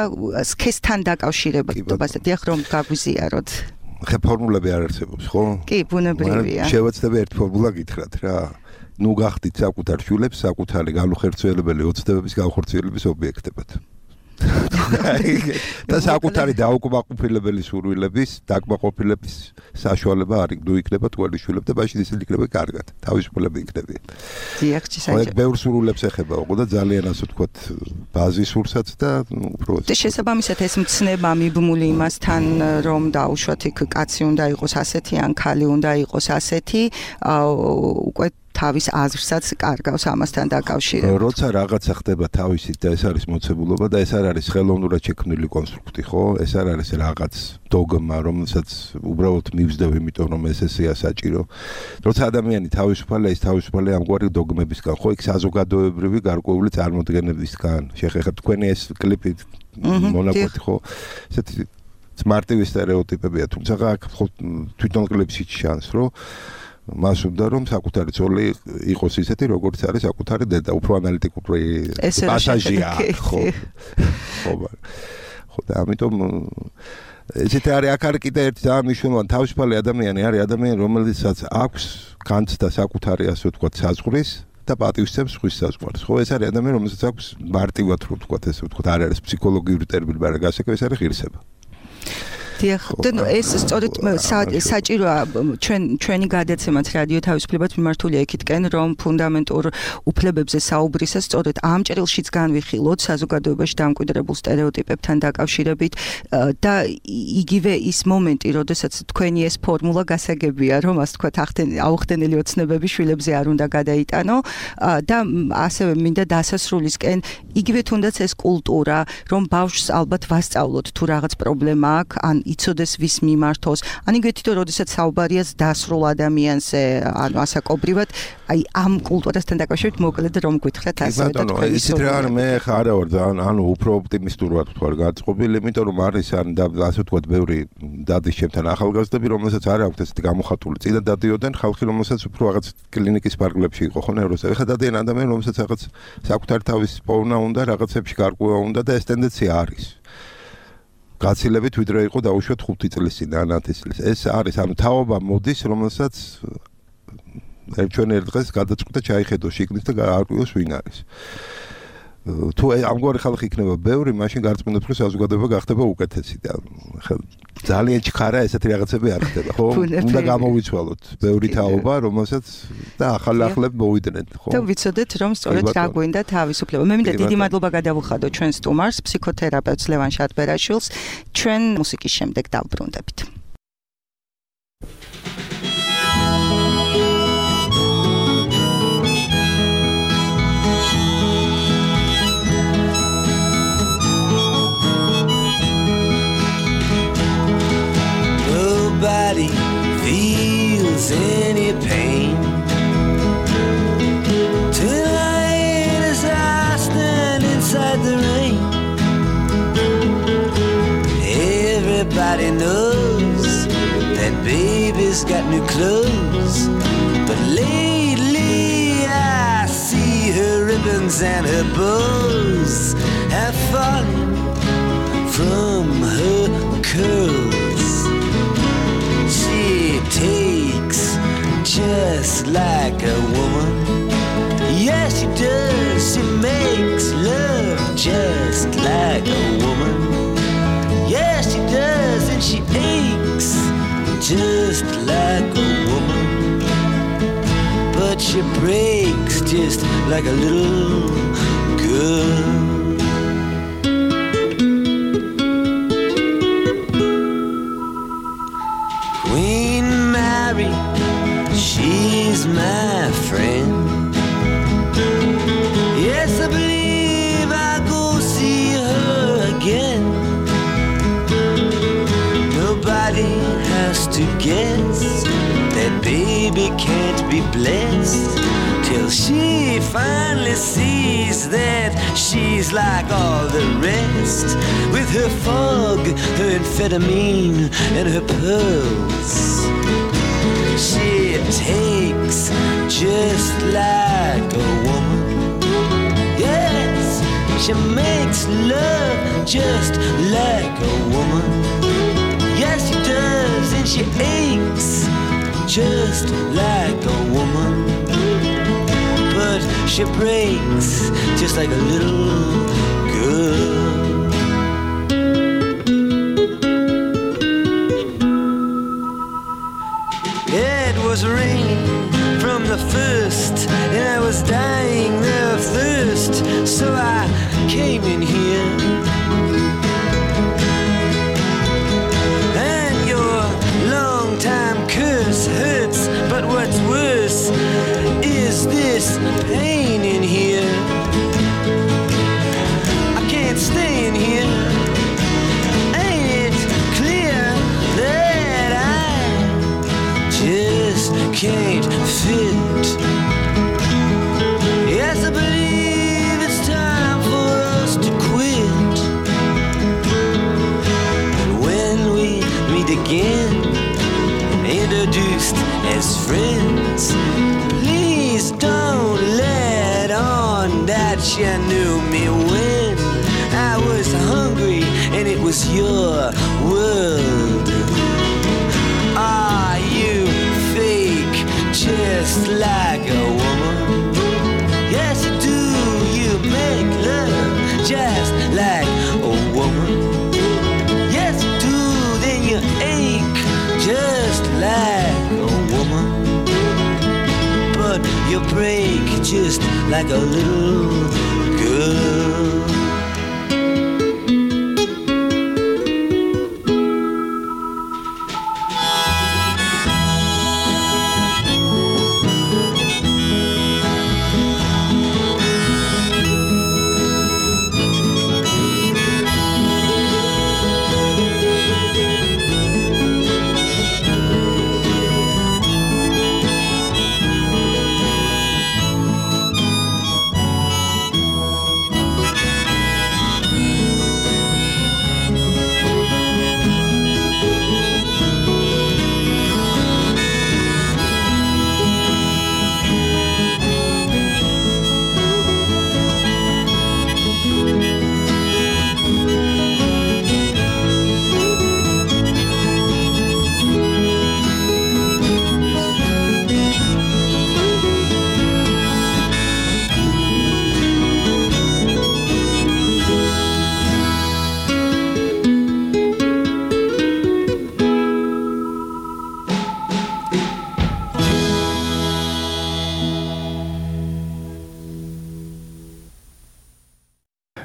Speaker 3: სქესთან დაკავშირებასთან დიახ რომ გაგვიზიაროთ
Speaker 4: ხე ფორმულები არ არსებობს ხო?
Speaker 3: კი ბუნებრივია
Speaker 4: შევეცდები ერთ ფორმულა გითხრათ რა ნუ გახდით საკუთარ შვილებს საკუთარი განუხერხებელი ოცნებების განხორციელების ობიექტებად და საკუთარი დაუკმაყოფილებელი სურვილების დაკმაყოფილების საშუალება არ იქნება თქვენი შვილებს და ბავშვი ისინი იქნება კარგად თავისუფლები იქნებიან
Speaker 3: დიახ
Speaker 4: საერთოდ ბევრ სურვილებს ეხება უკვე და ძალიან ასე ვთქვათ ბაზისურსაც და უფრო
Speaker 3: და შესაბამისად ეს მცნება მიბმული იმასთან რომ დაუშვათ იქ კაცი უნდა იყოს ასეთი ან ქალი უნდა იყოს ასეთი უკვე თავის აზრსაც კარგავს ამასთან დაკავშირებით.
Speaker 4: როცა რაღაცა ხდება თავისით და ეს არის მოცებულობა და ეს არ არის ხელოვნურად შექმნილი კონსტრუქტი, ხო? ეს არ არის რაღაც დოგმა, რომელსაც უბრალოდ მივსდევ, იმიტომ რომ ესეა საჭირო. როცა ადამიანი თავისუფალია, ის თავისუფალია ამგვარი დოგმებისგან, ხო? იქ საზოგადოებრივი გარკვეული წარმოდგენებისგან. შეხეხებთ თქვენი ეს კლიპი მონაკვეთი, ხო? ესეთი მარტივი სტერეოტიპებია, თუმცა ხო თვითონ კლიპში ჩანს, რომ მას უნდა რომ საკუთარი ცოლი იყოს ისეთი როგორც არის საკუთარი დედა უფრო ანალიტიკური პასაჟია ხო და ამიტომ ესეთი არის აქ არის კიდე ერთი ძალიან მნიშვნელოვანი თავისუფალი ადამიანი არის ადამიანი რომელსაც აქვს განცდა საკუთარი ასე ვთქვათ საზღვრის და პატივისცემს სხვის საზღვარს ხო ეს არის ადამიანი რომელსაც აქვს მარტივად რო ვთქვათ ესე ვთქვათ არ არის ფსიქოლოგიური ტერმინი მაგრამ გასაგებ ეს არის ღირსება
Speaker 3: დიახ, ეს სწორედ საჭიროა ჩვენი გადაცემაც რადიო თავისუფლებაც მიმართულია იქითკენ, რომ ფუნდამენტურ უფლებებზე საუბრისას სწორედ ამ ჭრილშიც განვიხილოთ საზოგადოებაში დამკვიდრებულ სტერეოტიპებთან დაკავშირებით და იგივე ის მომენტი, როდესაც თქვენი ეს ფორმულა გასაგებია, რომ ასე თქვა აუხდენელი ოცნებები შვილებზე არ უნდა გადაიტანო და ასევე მინდა დასასრულისკენ იგივე თუნდაც ეს კულტურა, რომ ბავშვს ალბათ ვასწავლოთ თუ რაღაც პრობლემა აქვს, ან იცოდეს ვის მიმართოს. ან იგივე თვითონ როდესაც საუბარია დასრულ ადამიანზე, ანუ ასაკობრივად, აი ამ კულტურასთან დაკავშირებით მოკლედ რომ გითხრათ ასე და თქვენ
Speaker 4: ისეთ რა მე ხა არა ვარ ძალიან ანუ უფრო ოპტიმისტურად ვთქვა გაწყობილი, იმიტომ რომ არის ან ასე ვთქვათ ბევრი დადის ჩემთან ახალგაზრდები, რომელსაც არ აქვს ესეთი გამოხატული. წინა დადიოდნენ ხალხი, რომელსაც უფრო რაღაც კლინიკის პარკლებში იყო ხო ნევროსები. ეხლა დადიან ადამიანი, რომელსაც რაღაც საკუთარი თავის პოვნა უნდა, რაღაცებში გარკვევა უნდა და ეს ტენდენცია არის. გაცილებით ვიდრე იყო დაუშვათ 5 წლის წინ ან 10 წლის. ეს არის ანუ თაობა მოდის, რომელსაც ჩვენ ერთ დღეს გადაწყვიტა ჩაიხედო შიგნით და გაარკვიოს ვინ არის. თუ ამგვარი ხალხი იქნება ბევრი, მაშინ გარწმუნდით რომ საზოგადოება გახდება უკეთესი და ძალიან ჩქარა ესეთი რაღაცები არ ხდება, ხო? უნდა გამოვიცვალოთ ბევრი თაობა, რომელსაც და ახალ-ახლებ მოვიდნენ, ხო?
Speaker 3: და ვიცოდეთ რომ სწორედ რა გვინდა თავისუფლება. მე მინდა დიდი მადლობა გადავუხადო ჩვენ სტუმარს, ფსიქოთერაპევტს ლევან შატბერაშვილს. ჩვენ მუსიკის შემდეგ დავბრუნდებით.
Speaker 6: Nobody feels any pain tonight as I stand inside the rain. Everybody knows that baby's got new clothes, but lately I see her ribbons and her bows have fallen from her curls. She takes just like a woman. Yes, she does. She makes love just like a woman. Yes, she does, and she aches just like a woman. But she breaks just like a little girl. Queen Mary, she's my friend. Yes, I believe I'll go see her again. Nobody has to guess that baby can't be blessed till she finally sees that she's like all the rest, with her fog, her amphetamine, and her pearls. She takes just like a woman. Yes, she makes love just like a woman. Yes, she does, and she aches just like a woman. But she breaks just like a little girl. It was raining from the first, and I was dying there of thirst, so I came in here. And your long-time curse hurts, but what's worse is this pain in here. I can't stay in here. Ain't it clear that I just can't fit? Yes, I believe it's time for us to quit. And when we meet again, introduced as friends, please don't let on that you knew me when I was hungry and it was your world. Are you fake just like a woman? Yes, you do. You make love just like a woman. Yes, you do. Then you ache just like a woman. But you break just like a little girl.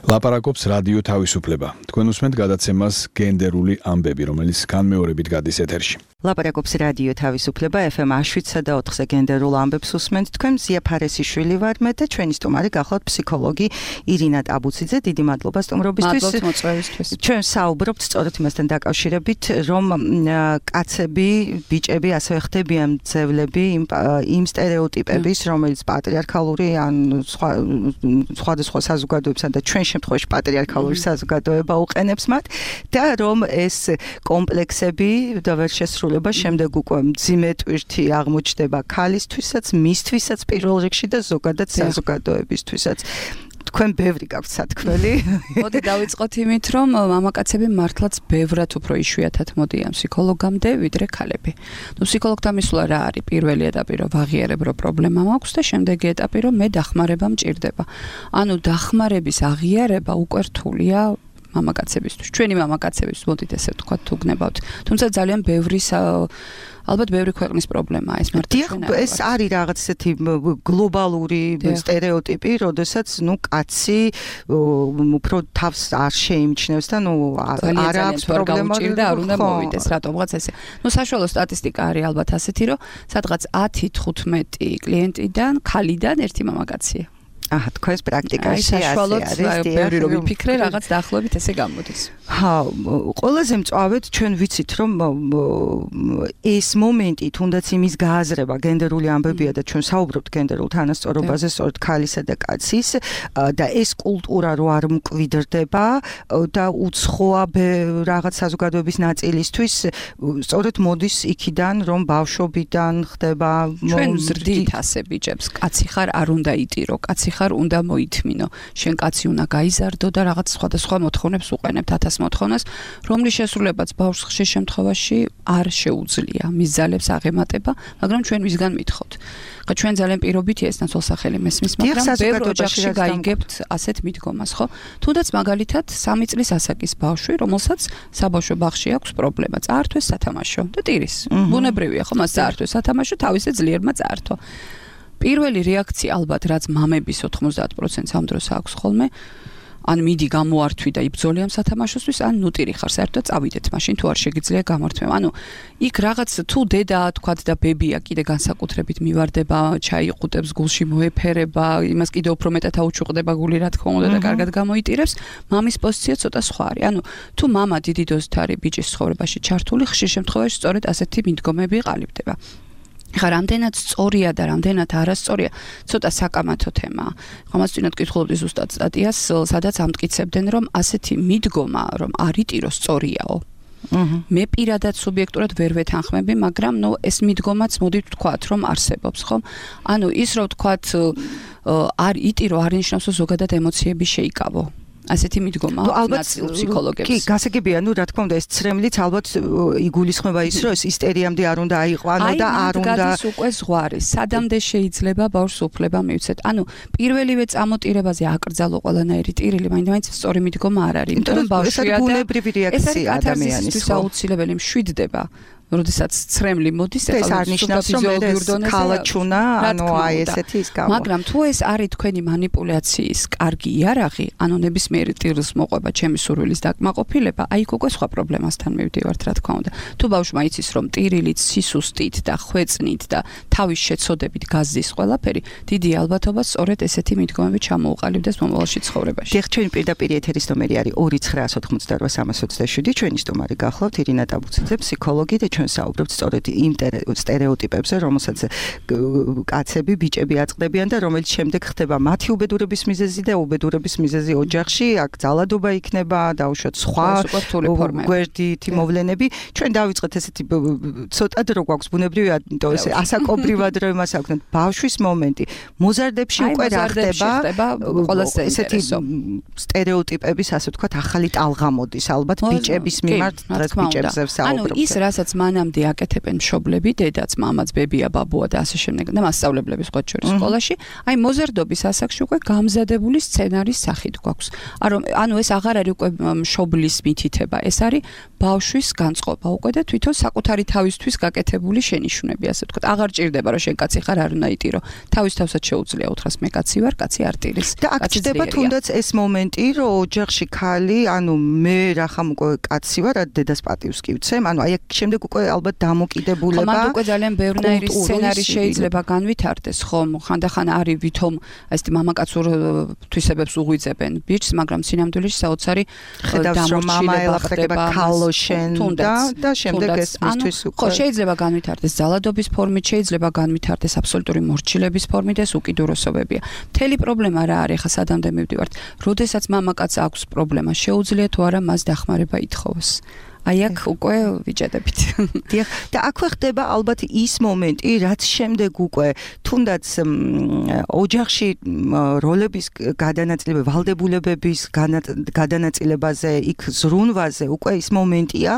Speaker 2: ლაპარაკობს რადიო თავისუფლება. თქვენ უსმენთ გადაცემას გენდერული ამბები, რომელიც განმეორებით გადის ეთერში.
Speaker 3: ლაპარაკობს რადიო თავისუფლება FM 7/4-ზე გენდერულ ამბებს უსმენთ. თქვენ ზია ფარესიშვილი ვარ მე და ჩვენი სტუმარი გახლავთ ფსიქოლოგი ირინა ტაბუციძე. დიდი მადლობა სტუმრობისთვის.
Speaker 7: მადლობთ მოწვევისთვის.
Speaker 3: ჩვენ საუბრობთ სწორედ იმასთან დაკავშირებით, რომ კაცები, ბიჭები ასევე ხდებიან ძევლები იმ სტერეოტიპების, რომელიც პატრიარქალური ან სხვადასხვა საზოგადოებისა და ჩვენ შემთხვევაში პატრიარქალური საზოგადოება უყენებს მათ და რომ ეს კომპლექსები და ვერ შესრულება შემდეგ უკვე მძიმე ტვირთი აღმოჩნდება ქალისთვისაც, მისთვისაც პირველ რიგში და ზოგადად საზოგადოებისთვისაც. თქვენ ბევრი გაქვთ სათქმელი.
Speaker 7: მოდი დავიწყოთ იმით, რომ მამაკაცები მართლაც ბევრად უფრო იშვიათად მოდიან ფსიქოლოგამდე, ვიდრე ქალები. ფსიქოლოგთან მისვლა რა არის? პირველი ეტაპი, რომ ვაღიარებ, რომ პრობლემა მაქვს და შემდეგი ეტაპი, რომ მე დახმარება მჭირდება. ანუ დახმარების აღიარება უკვე რთულია მამაკაცებისთვის. ჩვენი მამაკაცებისთვის, მოდით ესე ვთქვათ, თუ გნებავთ. თუმცა ძალიან ბევრი ალბათ ბევრი ქვეყნის პრობლემაა ეს მარტო.
Speaker 3: ეს არის რაღაც ესეთი გლობალური სტერეოტიპი, როდესაც კაცი უფრო თავს არ შეიმჩნევს და არ აქვს პრობლემა
Speaker 7: და არ უნდა მოვიდეს რატომღაც ესე. საშუალო სტატისტიკა არის ალბათ ასეთი, რომ სადღაც 10-15 კლიენტიდან ქალიდან ერთი მამაკაცია.
Speaker 3: თქვენს პრაქტიკაში
Speaker 7: არის ბევრი რომ ვიფიქრე რაღაც დაახლოებით ესე გამოდის.
Speaker 3: ყველაზე მწვავედ ჩვენ ვიცით რომ ეს მომენტი თუნდაც იმის გააზრება გენდერული ამბებია და ჩვენ საუბრობთ გენდერულ თანასწორობაზე სწორედ ქალისა და კაცის და ეს კულტურა რო არ მკვიდრდება და უცხოა რაღაც საზოგადოების ნაწილისთვის სწორედ მოდის იქიდან რომ ბავშვობიდან ხდება
Speaker 7: ჩვენ ვზრდით ასე ბიჭებს კაცი ხარ არ უნდა იტირო კაცი ხარ უნდა მოითმინო შენ კაცი უნდა გაიზარდო და რაღაც სხვადასხვა მოთხოვნებს უყენებთ 1000 მოთხოვნას რომლის შესრულებაც ბავშვს ხშირ შემთხვევაში არ შეუძლია მის ძალებს აღემატება მაგრამ ჩვენ ვისგან მითხოთ ხა ჩვენ ძალიან პირობითია ეს ნაცვალსახელი მესმის მაგრამ ბევრ ოჯახში გაიგებთ ასეთ მიდგომას ხო თუნდაც მაგალითად 3 წლის ასაკის ბავშვი რომელსაც საბავშვო ბაღში აქვს პრობლემა წაართვეს სათამაშო და ტირის ბუნებრივია ხო მას წაართვეს სათამაშო თავისი ძლიერმა წაართვა პირველი რეაქცია ალბათ რაც მამების 90%-ს ამ დროს აქვს ხოლმე ან მიდი გამოართვი და იბრძოლე ამ სათამაშოსთვის ან ნუტირი ხარ საერთოდ წავიდეთ მაშინ თუ არ შეგიძლია გამართვება ანუ იქ რაღაც თუ დედა თქვათ და ბებია კიდე განსაკუთრებით მივარდება ჩაიყუტებს გულში მოეფერება იმას კიდე უფრო მეტად აუჩუყდება გული რა თქმა უნდა და კარგად გამოიტირებს მამის პოზიცია ცოტა სხვა არის ანუ თუ მამა დიდი დოზით არის ბიჭის ცხოვრებაში ჩართული ხშირ შემთხვევაში სწორედ ასეთი მიდგომები ყალიბდება ხა რამდენად სწორია და რამდენად არასწორია ცოტა საკამათო თემაა. ხომაც წინათ კითხულობდი ზუსტად სტატიას, სადაც ამტკიცებდნენ, რომ ასეთი მიდგომა, რომ არ იტირო სწორიაო. მე პირადად სუბიექტურად ვერ ვეთანხმები, მაგრამ ეს მიდგომაც მოდით ვთქვათ, რომ არსებობს, ხომ? ანუ ის რომ ვთქვათ, არ იტირო, არ ნიშნავს, რომ ზოგადად ემოციები შეიკავო. ასეთი მიდგომა აქვს ფსიქოლოგებს.
Speaker 3: კი, გასაგებია, რა თქმა უნდა, ეს ცრემლიც ალბათ იგულისხმება ის, რომ ეს ისტერიამდე არ უნდა აიყვანო და არ უნდა
Speaker 7: გადის უკვე ზღვარი. სადამდე შეიძლება ბავშვს უფლება მივცეთ. ანუ პირველივე წამოტირებაზე აკრძალო ყველანაირი ტირილი, მაინც სწორი მიდგომა არ არის. იმიტომ რომ ბავშვია და
Speaker 3: ბუნებრივი რეაქცია ადამიანის.
Speaker 7: ეს აუცილებელი მშვიდდება. როდესაც ცრემლი მოდის
Speaker 3: ეს არ ნიშნავს რომ ეს კალაჩუნა ანუ აი ესეთი ის გამო
Speaker 7: მაგრამ თუ ეს არის თქვენი манипуляციის კარგი იარაღი ანუ ნებისმიერი ტირს მოყვება ჩემი სურვილის დაკმაყოფილება აი უკვე სხვა პრობლემასთან მივდივართ რა თქმა უნდა თუ ბავშვმა იცის რომ ტირილით სისუსტით და ხვეწნით და თავის შეცოდებით გაზის ყველაფერი დიდი ალბათობა სწორედ ესეთი მიდგომები ჩამოუყალიბდეს მომავალში ცხოვრებაში
Speaker 3: დიახ ჩვენი პირდაპირ ეთერის ნომერი არის 2988 ჩვენი სტუმარი გახლავთ ირინა ტაბუციძე ფსიქოლოგი და ჩვენ საუბრობთ სწორედ იმ სტერეოტიპებზე, რომელსაც კაცები, ბიჭები აწყდებიან და რომელიც შემდეგ ხდება მათი უბედურების მიზეზი და უბედურების მიზეზი ოჯახში, აქ ძალადობა იქნება, დაუშვათ სხვა გვერდითი მოვლენები. ჩვენ დავიწყეთ ესეთი ცოტა დრო გვაქვს ბუნებრივია, იმიტომ ესე ასაკობრივად რომ იმას აქვთ. ბავშვის მომენტი, მოზარდებში უკვე რა ხდება? ესეთი სტერეოტიპების, ასე ვთქვათ, ახალი ტალღა მოდის, ალბათ ბიჭების მიმართ, რაც ბიჭებზე საუბრობთ.
Speaker 7: ანუ ის რასაც მანამდე აკეთებენ მშობლები, დედაც, მამაც, ბებია, ბაბუა და ასე შემდეგ და მასწავლებლები სხვა შორის სკოლაში, აი მოზარდობის ასაკში უკვე გამზადებული სცენარის სახით გვაქვს. ანუ ეს აღარ არის უკვე მშობლის მითითება, ეს არის ბავშვის განწყობა უკვე და თვითონ საკუთარი თავისთვის გაკეთებული შენიშვნები, ასე ვთქვათ. აღარ ჭირდება რომ შენ კაცი ხარ, არ უნდა იტირო. თავის თავსაც შეუძლია უთხრას მე კაცი ვარ, კაცი არ ტირის.
Speaker 3: და აქ ხდება თუნდაც ეს მომენტი, რომ ოჯახში ქალი, ანუ მე რახამ უკვე კაცი ვარ, დედას პატივს კი ვცემ, ანუ აი შემდეგ უკვე ალბათ დამოკიდებულება.
Speaker 7: ხომ უკვე ძალიან ბევრნაირი სცენარი შეიძლება განვითარდეს, ხომ? ხანდახან არის ვითომ ესეთი მამაკაცურ თვისებებს უღვიძებენ ბიჭს, მაგრამ სინამდვილეში საოცარი
Speaker 3: დამორჩილება ხდება ქალოშენ და შემდეგ ეს მისთვის უკვე
Speaker 7: ხო შეიძლება განვითარდეს ძალადობის ფორმით, შეიძლება განვითარდეს აბსოლუტური მორჩილების ფორმით, ეს უკიდურესობებია. მთელი პრობლემა რა არის, ხა სადამდე მივდივართ. როდესაც მამაკაცს აქვს პრობლემა, შეუძლია თუ არა მას დახმარება ითხოვოს. აი აქ უკვე ვიჭედებით.
Speaker 3: დიახ, და აქვე ხდება ალბათ ის მომენტი, რაც შემდეგ უკვე თუნდაც ოჯახში როლების გადანაწილება, ვალდებულებების გადანაწილებაზე, იქ ზრუნვაზე უკვე ის მომენტია,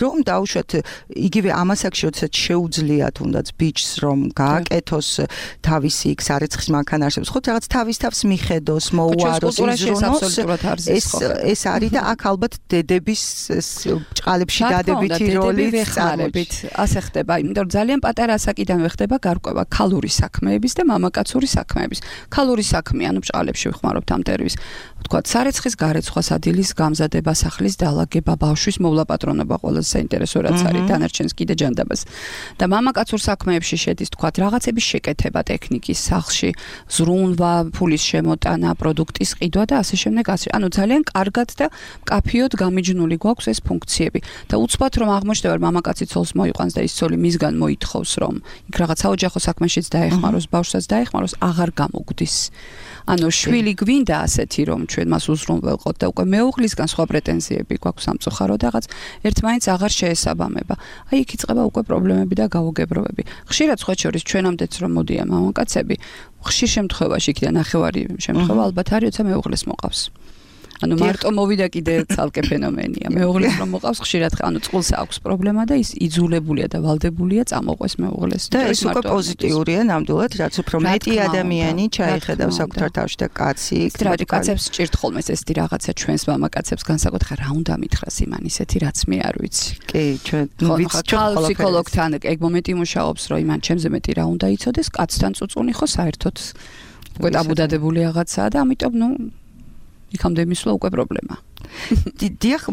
Speaker 3: რომ დაუშვათ იგივე ამასაკში, როდესაც შეუძლია თუნდაც ბიჭს რომ გააკეთოს თავისი იქ სარეცხის მანქანა არსებობს, ხო რაღაც თავის თავს მიხედოს, მოუაროს, იზრუნოს. ეს არის და აქ ალბათ დედების ჭყალებში დადებითი როლი
Speaker 7: ვეხმარებით. ასე ხდება, იმიტომ რომ ძალიან პატარა ასაკიდანვე ხდება გარკვევა ქალური საქმეების და მამაკაცური საქმეების. ქალური საქმე, ანუ ჭყალებში ვეხმარობთ ამ ტერმის. ვთქვათ, სარეცხის გარეცხვა, სადილის გამზადება, სახლის დალაგება, ბავშვის მოვლაპატრონობა ყველაზე საინტერესო რაც არის, დანარჩენს კიდე ჯანდაბას. და მამაკაცურ საქმეებში შედის, ვთქვათ, რაღაცების შეკეთება ტექნიკის სახლში, ზრუნვა, ფულის შემოტანა, პროდუქტის ყიდვა და ასე შემდეგ. ანუ ძალიან კარგად და მკაფიოდ გამიჯნული გვაქვს ეს ფუნქციები. და უცბად რომ აღმოჩნდება, რომ მამაკაცი ცოლს მოიყვანს და ის ცოლი მისგან მოითხოვს, რომ იქ რაღაც საოჯახო საქმეშიც დაეხმაროს, ბავშვსაც დაეხმაროს, აღარ გამოგვდის. ანუ შვილი გვინდა ასეთი რომ ჩვენ მას უზრუნველყოთ და უკვე მეუღლისგან სხვა პრეტენზიები გვაქვს სამწუხაროდ რაღაც ერთმანეთს აღარ შეესაბამება. აი იქ იწყება უკვე პრობლემები და გაუგებრობები. ხშირად სხვა შორის ჩვენამდეც რომ მოდიან მამაკაცები, ხშირ შემთხვევაში იქიდან ნახევარი შემთხვევა ალბათ არის, როცა მეუღლეს მოყავს. ანუ მარტო მოვიდა კიდე ცალკე ფენომენია. მეუღლეს რომ მოყავს ხშირად, ანუ წყულს აქვს პრობლემა და ის იძულებულია და ვალდებულია წამოყვეს მეუღლეს.
Speaker 3: და ეს უკვე პოზიტიურია ნამდვილად, რაც უფრო მეტი ადამიანი ჩაიხედავს საკუთარ თავში და კაცი.
Speaker 7: კაცებს სჭირთ ხოლმე ესეთი რაღაცა ჩვენს მამაკაცებს განსაკუთრებით რა უნდა მითხრას იმან ისეთი რაც მე არ ვიცი.
Speaker 3: კი, ჩვენ
Speaker 7: ფსიქოლოგთან ეგ მომენტი მუშაობს, რომ იმან ჩემზე მეტი რა უნდა იცოდეს, კაცთან წუწუნი ხო საერთოდ უკვე დაბუდადებული რაღაცაა და ამიტომ ნუ იქამდე მისვლა უკვე პრობლემა.
Speaker 3: დიახ,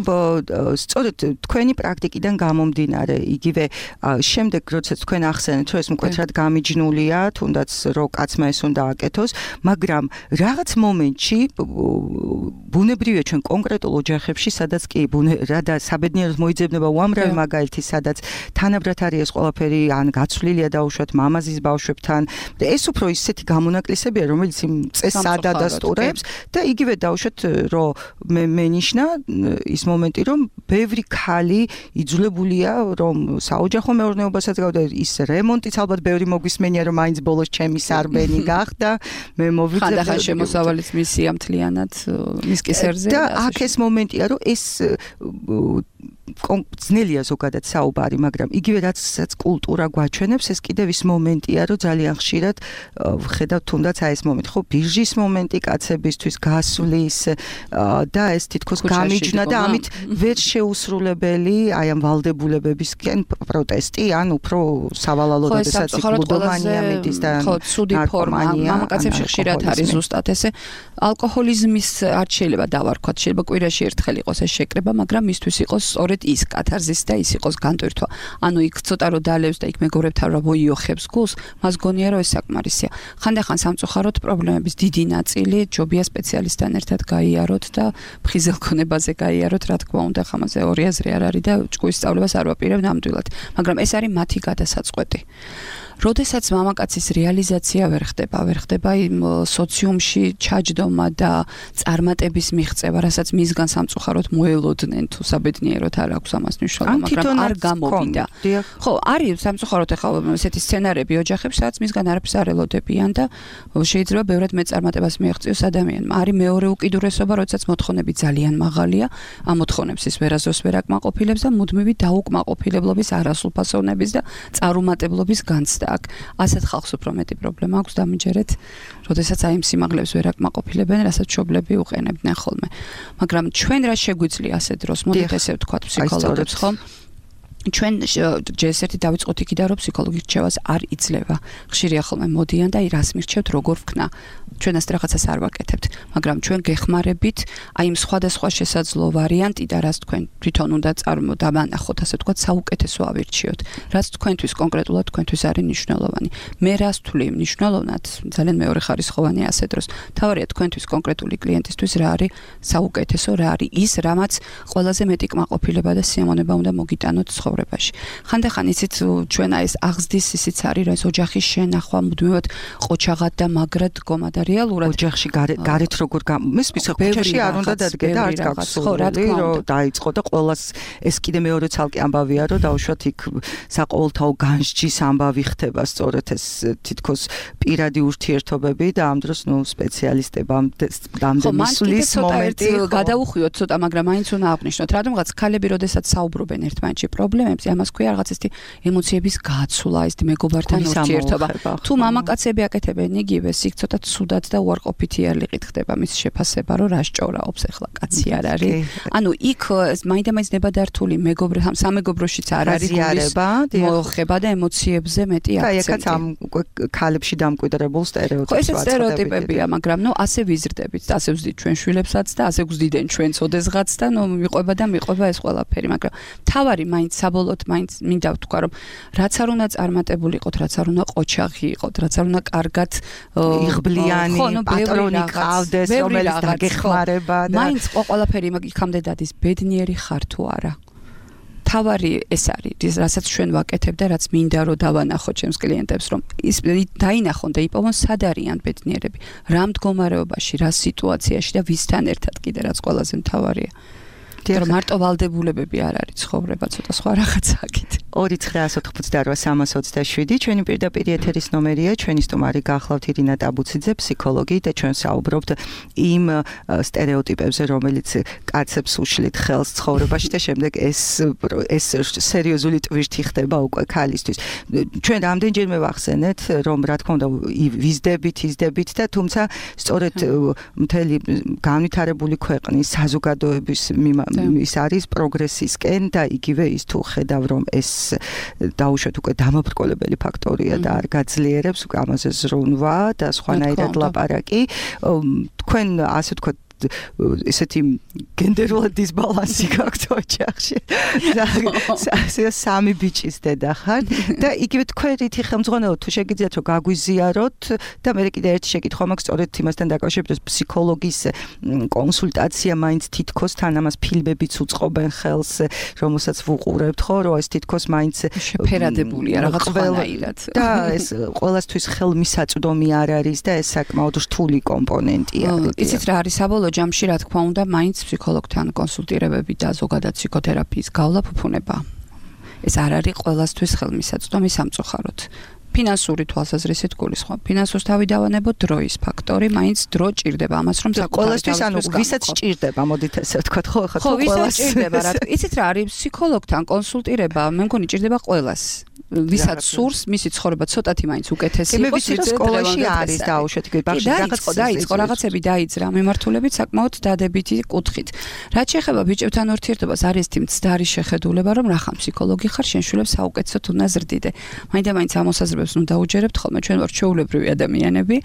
Speaker 3: სწორედ თქვენი პრაქტიკიდან გამომდინარე, იგივე შემდეგ როდესაც თქვენ ახსენეთ, რომ ეს მკვეთრად გამიჯნულია, თუნდაც რო კაცმა ეს უნდა აკეთოს, მაგრამ რაღაც მომენტში ბუნებრივია ჩვენ კონკრეტულ ოჯახებში, სადაც კი რა და საბედნიეროდ მოიძებნება უამრავი მაგალითი, სადაც თანაბრად არის ეს ყველაფერი, ან გაცვლილია დაუშვათ მამაზის ბავშვებთან, და ეს უფრო ისეთი გამონაკლისებია, რომელიც იმ წესს ადასტურებს და იგივე დაუშვათ, რომ მე ნიშნა ის მომენტი, რომ ბევრი ხალი იძულებულია, რომ საოჯახო მეურნეობასაც გავდა, ის რემონტიც ალბათ ბევრი მოგვისმენია, რომ მაინც ბოლოს ჩემი სარბენი გახდა, მე მოვიძებ
Speaker 7: ხანდახან შემოსავალიც მისია მთლიანად მის კისერზე
Speaker 3: და აქ ეს მომენტია, რომ ეს ძნელია ზოგადად საუბარი, მაგრამ იგივე რაც კულტურა გვაჩვენებს, ეს კიდევ ის მომენტია, რომ ძალიან ხშირად ვხედავთ თუნდაც აი ეს მომენტი, ხო, ბირჟის მომენტი კაცებისთვის გასვლის და ეს თითქოს გამიჯნა და ამით ვერ შეუსრულებელი აი ამ ვალდებულებებისკენ პროტესტი, ან უფრო სავალალო როდესაც ლუდომანია მიდის და
Speaker 7: ხო, ცუდი ფორმა მამაკაცებში ხშირად არის ზუსტად ესე ალკოჰოლიზმის არ შეიძლება დავარქვათ, შეიძლება კვირაში ერთხელ იყოს ეს შეკრება, მაგრამ მისთვის იყოს სწორედ ის კათარზის და ის იყოს განტვირთვა. ანუ იქ ცოტა რო დალევს და იქ მეგობრებთან რა მოიოხებს გულს, მას გონია რომ ეს საკმარისია. ხანდახან სამწუხაროდ პრობლემების დიდი ნაწილი ჯობია სპეციალისტთან ერთად გაიაროთ და ფხიზელქონებაზე გაიაროთ, რა თქმა უნდა, ხამაზე ორი აზრი არ არის და ჭკუის სწავლებას არ ვაპირებ ნამდვილად. მაგრამ ეს არის მათი გადასაწყვეტი. როდესაც მამაკაცის რეალიზაცია ვერ ხდება იმ სოციუმში ჩაჯდომა და წარმატების მიღწევა, რასაც მისგან სამწუხაროდ მოელოდნენ თუ საბედნიეროდ არ აქვს ამას მნიშვნელობა, მაგრამ არ გამოვიდა. ხო, არის სამწუხაროდ ახლა ესეთი სცენარები ოჯახებში, სადაც მისგან არაფერს არ ელოდებიან და შეიძლება ბევრად მეტ წარმატებას მიაღწიოს ადამიანმა. არის მეორე უკიდურესობა, როდესაც მოთხოვნები ძალიან მაღალია, ამ მოთხოვნებს ის ვერასდროს ვერ აკმაყოფილებს და მუდმივი დაუკმაყოფილებლობის, არასრულფასოვნების და წარუმატებლობის განცდა. ასეთ ხალხს უფრო მეტი პრობლემა აქვს დამიჯერეთ, როდესაც აი იმ სიმაღლებს ვერ აკმაყოფილებენ, რასაც მშობლები უყენებდნენ ხოლმე. მაგრამ ჩვენ რა შეგვიძლია ასეთ დროს, მოდით ესე ვთქვათ ფსიქოლოგებს, ხო? ჩვენ ჯესერთი დავიწყოთ იქიდან, რომ ფსიქოლოგის რჩევას არ იძლევა. ხშირია ხოლმე მოდიან და აი რას მირჩევთ, როგორ ვქნა. ჩვენას რაღაცას არ ვაკეთებთ, მაგრამ ჩვენ გეხმარებით აი იმ სხვადასხვა შესაძლო ვარიანტი და რაც თქვენ თვითონ უნდა დამანახოთ, ასე ვთქვათ, საუკეთესო ავირჩიოთ. რაც თქვენთვის კონკრეტულად თქვენთვის არის მნიშვნელოვანი. მე რას ვთვლი მნიშვნელოვნად, ძალიან მეორე ხარისხოვანია ასე დროს. თავარია თქვენთვის კონკრეტული კლიენტისთვის რა არის საუკეთესო, რა არის ის, რამაც ყველაზე მეტი კმაყოფილება და სიამონება უნდა მოგიტანოთ ცხოვრებაში. ხანდახან იცით ჩვენ ეს აღზრდის ისიც არის რა ეს ოჯახის შენახვა მუდმივად ყოჩაღად და მაგრად დგომა და რეალურად
Speaker 3: ოჯახში გარეთ როგორ მისმის ოჯახში არ უნდა დადგე და არც გაგსული რომ დაიწყო და ყოველას ეს კიდე მეორე ცალკე ამბავია რომ დაუშვათ იქ საყოველთაო განსჯის ამბავი ხდება სწორედ ეს თითქოს პირადი ურთიერთობები და ამ დროს სპეციალისტებამ მისulis მომენტი
Speaker 7: გადაუხვიოთ ცოტა მაგრამ მაინც უნდა აღნიშნოთ რადგანაც ქალები როდესაც საუბრობენ ერთმანეთში პრობლემებზე ამას ქვია რაღაც ისეთი ემოციების გაცვლა ის მეგობართან ურთიერთობა თუ მამაკაცები აკეთებენ იგივე იქ ცოტა ცუდად და უარყოფითი არლიყით ხდება მის შეფასება რომ რა სჭორაობს ახლა კაცი არ არის ანუ იქ მაინდა-მაინც ნებადართული მეგობრებთან სამეგობროშიც არ არის მოხება და ემოციებზე მეტი აქცენტი.
Speaker 3: აი, აქაც ამ ქალებში დამკვიდრებულ სტერეოტიპს
Speaker 7: ხო, ეს სტერეოტიპებია, მაგრამ ასე ვიზრდებით, ასე ვზდით ჩვენ შვილებსაც და ასე გვზდიდნენ ჩვენც ოდესღაც და მიყვება და მიყვება ეს ყველაფერი, მაგრამ თავარი მაინც საბოლოოდ მაინც მინდა ვთქვა, რომ რაც არ უნდა წარმატებული იყოთ, რაც არ უნდა ყოჩაღი იყოთ, რაც არ უნდა კარგად
Speaker 3: იღბლიანი პატრონი ყავდეს, რომელიც დაგეხმარება და
Speaker 7: მაინც ყველაფერი იქამდე დადის ბედნიერი ხარ თუ არა. თავარი ეს არის, რასაც ჩვენ ვაკეთებ და რაც მინდა რომ დავანახო ჩემს კლიენტებს, რომ ის დაინახონ და იპოვონ სად არიან ბედნიერები, რა მდგომარეობაში, რა სიტუაციაში და ვისთან ერთად კიდე რაც ყველაზე მთავარია. რომ მარტო ვალდებულებები არ არის ცხოვრება, ცოტა სხვა რაღაცა აქეთ.
Speaker 3: 2988327 ჩვენი პირდაპირ ეთერის ნომერია, ჩვენი სტუმარი გახლავთ ირინა ტაბუციძე, ფსიქოლოგი და ჩვენ საუბრობთ იმ სტერეოტიპებზე, რომელიც კაცებს უშლით ხელს ცხოვრებაში და შემდეგ ეს სერიოზული ტვირთი ხდება უკვე ქალისთვის. ჩვენ რამდენჯერმე ვახსენეთ, რომ რა თქმა უნდა ვიზდებით და თუმცა სწორედ მთელი განვითარებული ქვეყნის საზოგადოების ის არის პროგრესისკენ და იგივე ის თუ ხედავ რომ ეს დაუშვათ უკვე დამაბრკოლებელი ფაქტორია და არ გაძლიერებს ამაზე ზრუნვა და სხვანაირად ლაპარაკი თქვენ ასე ვთქვათ ესეთი გენდერულად დისბალანსი გაქვთ ოჯახში. სამი ბიჭის დედა ხარ და იგივე თქვენ რითი ხელმძღვანელოთ თუ შეგიძლიათ რომ გაგვიზიაროთ და მე კიდე ერთი შეკითხვა მაქვს სწორედ იმასთან დაკავშირებით ფსიქოლოგის კონსულტაცია მაინც თითქოს თან ამას ფილმებიც უწყობენ ხელს რომელსაც ვუყურებთ ხო რომ ეს თითქოს მაინც
Speaker 7: შეფერადებულია რაღაც ყველაირად
Speaker 3: და ეს ყველასთვის ხელმისაწვდომი არ არის და ეს საკმაოდ რთული კომპონენტია.
Speaker 7: იცით რა არის საბოლოო ჯამში რა თქმა უნდა მაინც ფსიქოლოგთან კონსულტირებები და ზოგადად ფსიქოთერაპიის გავლა ფუფუნება. ეს არ არის ყველასთვის ხელმისაწვდომი სამწუხაროდ. ფინანსური თვალსაზრისით გულისხმობ. ფინანსურს თავი დავანებოთ დროის ფაქტორი, მაინც დრო ჭირდება ამას რომ
Speaker 3: ყველასთვის ანუ ვისაც ჭირდება, მოდით ესე ვთქვათ, ხო, ხა
Speaker 7: ყველას ჭირდება რა. იცით რა არის ფსიქოლოგთან კონსულტირება, მე მგონი ჭირდება ყველას. ვისაც სურს, მისი ცხოვრება ცოტათი მაინც უკეთესი
Speaker 3: იყოს, ვისაც სკოლაში არის დაუშვათ, ბავშვი
Speaker 7: დაიწყო რაღაცები დაიძრა, მიმართულებით საკმაოდ დადებითი კუთხით. რაც შეეხება ბიჭებთან ურთიერთობას, არის თი მცდარი შეხედულება, რომ რახან ფსიქოლოგი ხარ, შენ შვილებს საუკეთესოდ უნდა ზრდიდე. მაინდა-მაინც ამ მოსაზრებებს უნდა დაუჯერებთ ხოლმე, ჩვენ ვართ ჩვეულებრივი ადამიანები,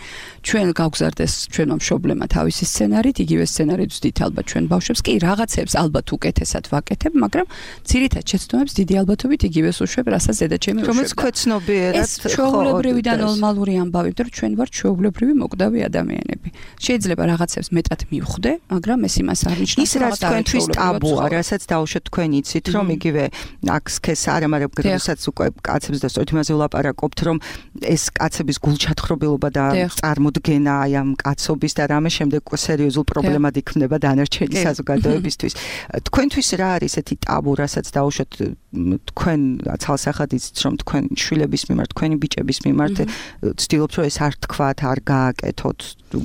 Speaker 7: ჩვენ გავგზარდეს ჩვენმა მშობლებმა თავისი სცენარით, იგივე სცენარით ვზდით ალბათ ჩვენ ბავშვებს, კი რაღაცებს ალბათ უკეთესად ვაკეთებ, მაგრამ ძირითად შეცდომებს დიდი ალბათობით იგივეს უშვებ, რასაც დედაჩემი
Speaker 3: რომელიც ქვეცნობიერად
Speaker 7: ჩვეულებრივი და ნორმალური ამბავი, რომ ჩვენ ვართ ჩვეულებრივი მოკვდავი ადამიანები. შეიძლება რაღაცებს მეტად მივხვდე, მაგრამ ეს იმას არ ნიშნავს,
Speaker 3: რომ რაღაც თქვენთვის ტაბუა, რასაც დაუშვათ თქვენ იცით, რომ იგივე აქ სქეს არა, მაგრამ გროსაც უკვე კაცებს და სწორედ იმაზე ვლაპარაკობთ, რომ ეს კაცების გულჩათხრობილობა და წარმოდგენა აი ამ კაცობის და რამე შემდეგ სერიოზულ პრობლემად იქნება დანარჩენი საზოგადოებისთვის. თქვენთვის რა არის ესეთი ტაბუ, რასაც დაუშვათ თქვენ ცალსახად იცით რომ თქვენ შვილების მიმართ, თქვენი ბიჭების მიმართ ვცდილობთ რომ ეს არ თქვათ, არ გააკეთოთ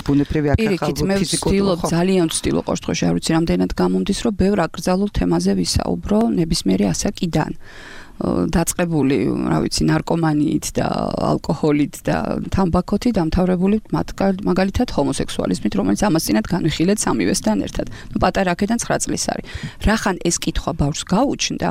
Speaker 3: ბუნებრივი აქახალო ფიზიკური
Speaker 7: ხო ძალიან ვცდილობ ყოველ შემთხვევაში არ ვიცი რამდენად გამომდის რომ ბევრ აკრძალულ თემაზე ვისაუბრო ნებისმიერი ასაკიდან დაწყებული, რა ვიცი, ნარკომანიით და ალკოჰოლით და თამბაქოთი დამთავრებული მაგალითად ჰომოსექსუალიზმით, რომელიც ამას წინათ განვიხილეთ სამივესთან ერთად. პატარა აქედან 9 წლის არის. რახან ეს კითხვა ბავშვს გაუჩნდა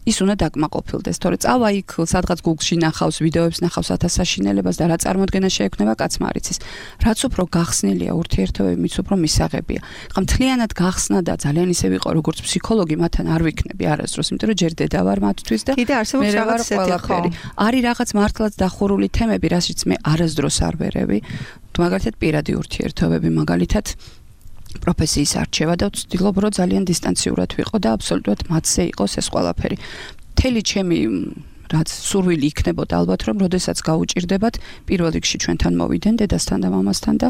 Speaker 7: ის უნდა დაკმაყოფილდეს, თორე წავა იქ სადღაც Google-ში ნახავს, ვიდეოებს ნახავს ათასაშინელებას და რა წარმოდგენა შეექმნება კაცმა არ იცის. რაც უფრო გახსნილია ურთიერთობები, მის უფრო მისაღებია. ხა მთლიანად გახსნა და ძალიან ისე ვიყო, როგორც ფსიქოლოგი მათთან არ ვიქნები არასდროს, იმიტომ რომ ჯერ დედა ვარ მათთვის და
Speaker 3: კიდე არსებობს რაღაც
Speaker 7: ყველაფერი. არის რაღაც მართლაც დახურული თემები, რასაც მე არასდროს არ ვერევი. მაგალითად პირადი ურთიერთობები, მაგალითად პროფესიის არჩევა და ვცდილობ რომ ძალიან დისტანციურად ვიყო და აბსოლუტურად მათზე იყოს ეს ყველაფერი. მთელი ჩემი რაც სურვილი იქნებოდა ალბათ რომ როდესაც გაუჭირდებათ პირველ რიგში ჩვენთან მოვიდნენ დედასთან და მამასთან და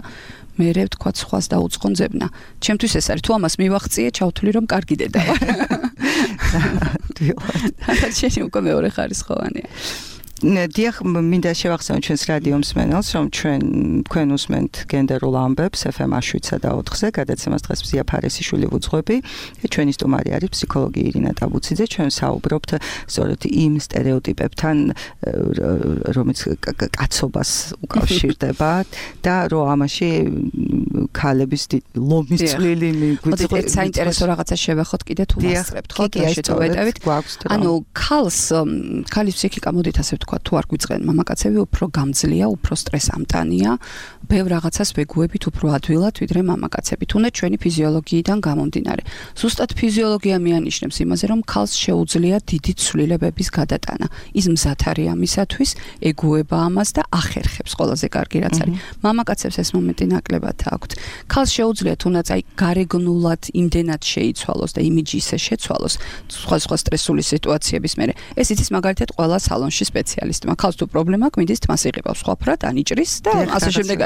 Speaker 7: მერე ვთქვათ სხვას დაუწყონ ძებნა. ჩემთვის ეს არის თუ ამას მივახციე ჩავთვლი რომ კარგი დედა ვარ. შენი უკვე მეორე ხარისხოვანია.
Speaker 3: დიახ, მინდა შევახსენო ჩვენს რადიო მსმენელს, რომ თქვენ უსმენთ გენდერულ ამბებს FM 7-ზე, გადაცემას დღეს მზია ფარესიშვილი ვუძღვები. ჩვენი სტუმარი არის ფსიქოლოგი ირინა ტაბუციძე. ჩვენ საუბრობთ სწორედ იმ სტერეოტიპებთან, რომელიც კაცობას უკავშირდება და რომ ამაში ქალების ლომის წვლილი
Speaker 7: მიგვიწევს. საინტერესო რაღაცა შევეხოთ კიდე თუ ვასწრებთ, ხო? შევეტევით. ანუ ქალის ფსიქიკა მოდით ასე ვთქვათ, თუ არ გვიწყენ მამაკაცები უფრო გამძლეა, უფრო სტრესამტანია, ბევრ რაღაცას ვეგუებით უფრო ადვილად ვიდრე მამაკაცები. თუნდაც ჩვენი ფიზიოლოგიიდან გამომდინარე. ზუსტად ფიზიოლოგია მიანიშნებს იმაზე, რომ ქალს შეუძლია დიდი ცვლილებების გადატანა. ის მზად არის ამისათვის, ეგუება ამას და ახერხებს ყველაზე კარგი რაც არის. მამაკაცებს ეს მომენტი ნაკლებად აქვთ. ქალს შეუძლია თუნდაც აი გარეგნულად იმდენად შეიცვალოს და იმიჯი ისე შეცვალოს სხვა სტრესული სიტუაციების მერე. ეს იცის მაგალითად ყველა სალონში სპეციალისტმა. ქალს თუ პრობლემა აქვს, მიდის თმას იღებავს სხვა ფრად, ანიჭრის და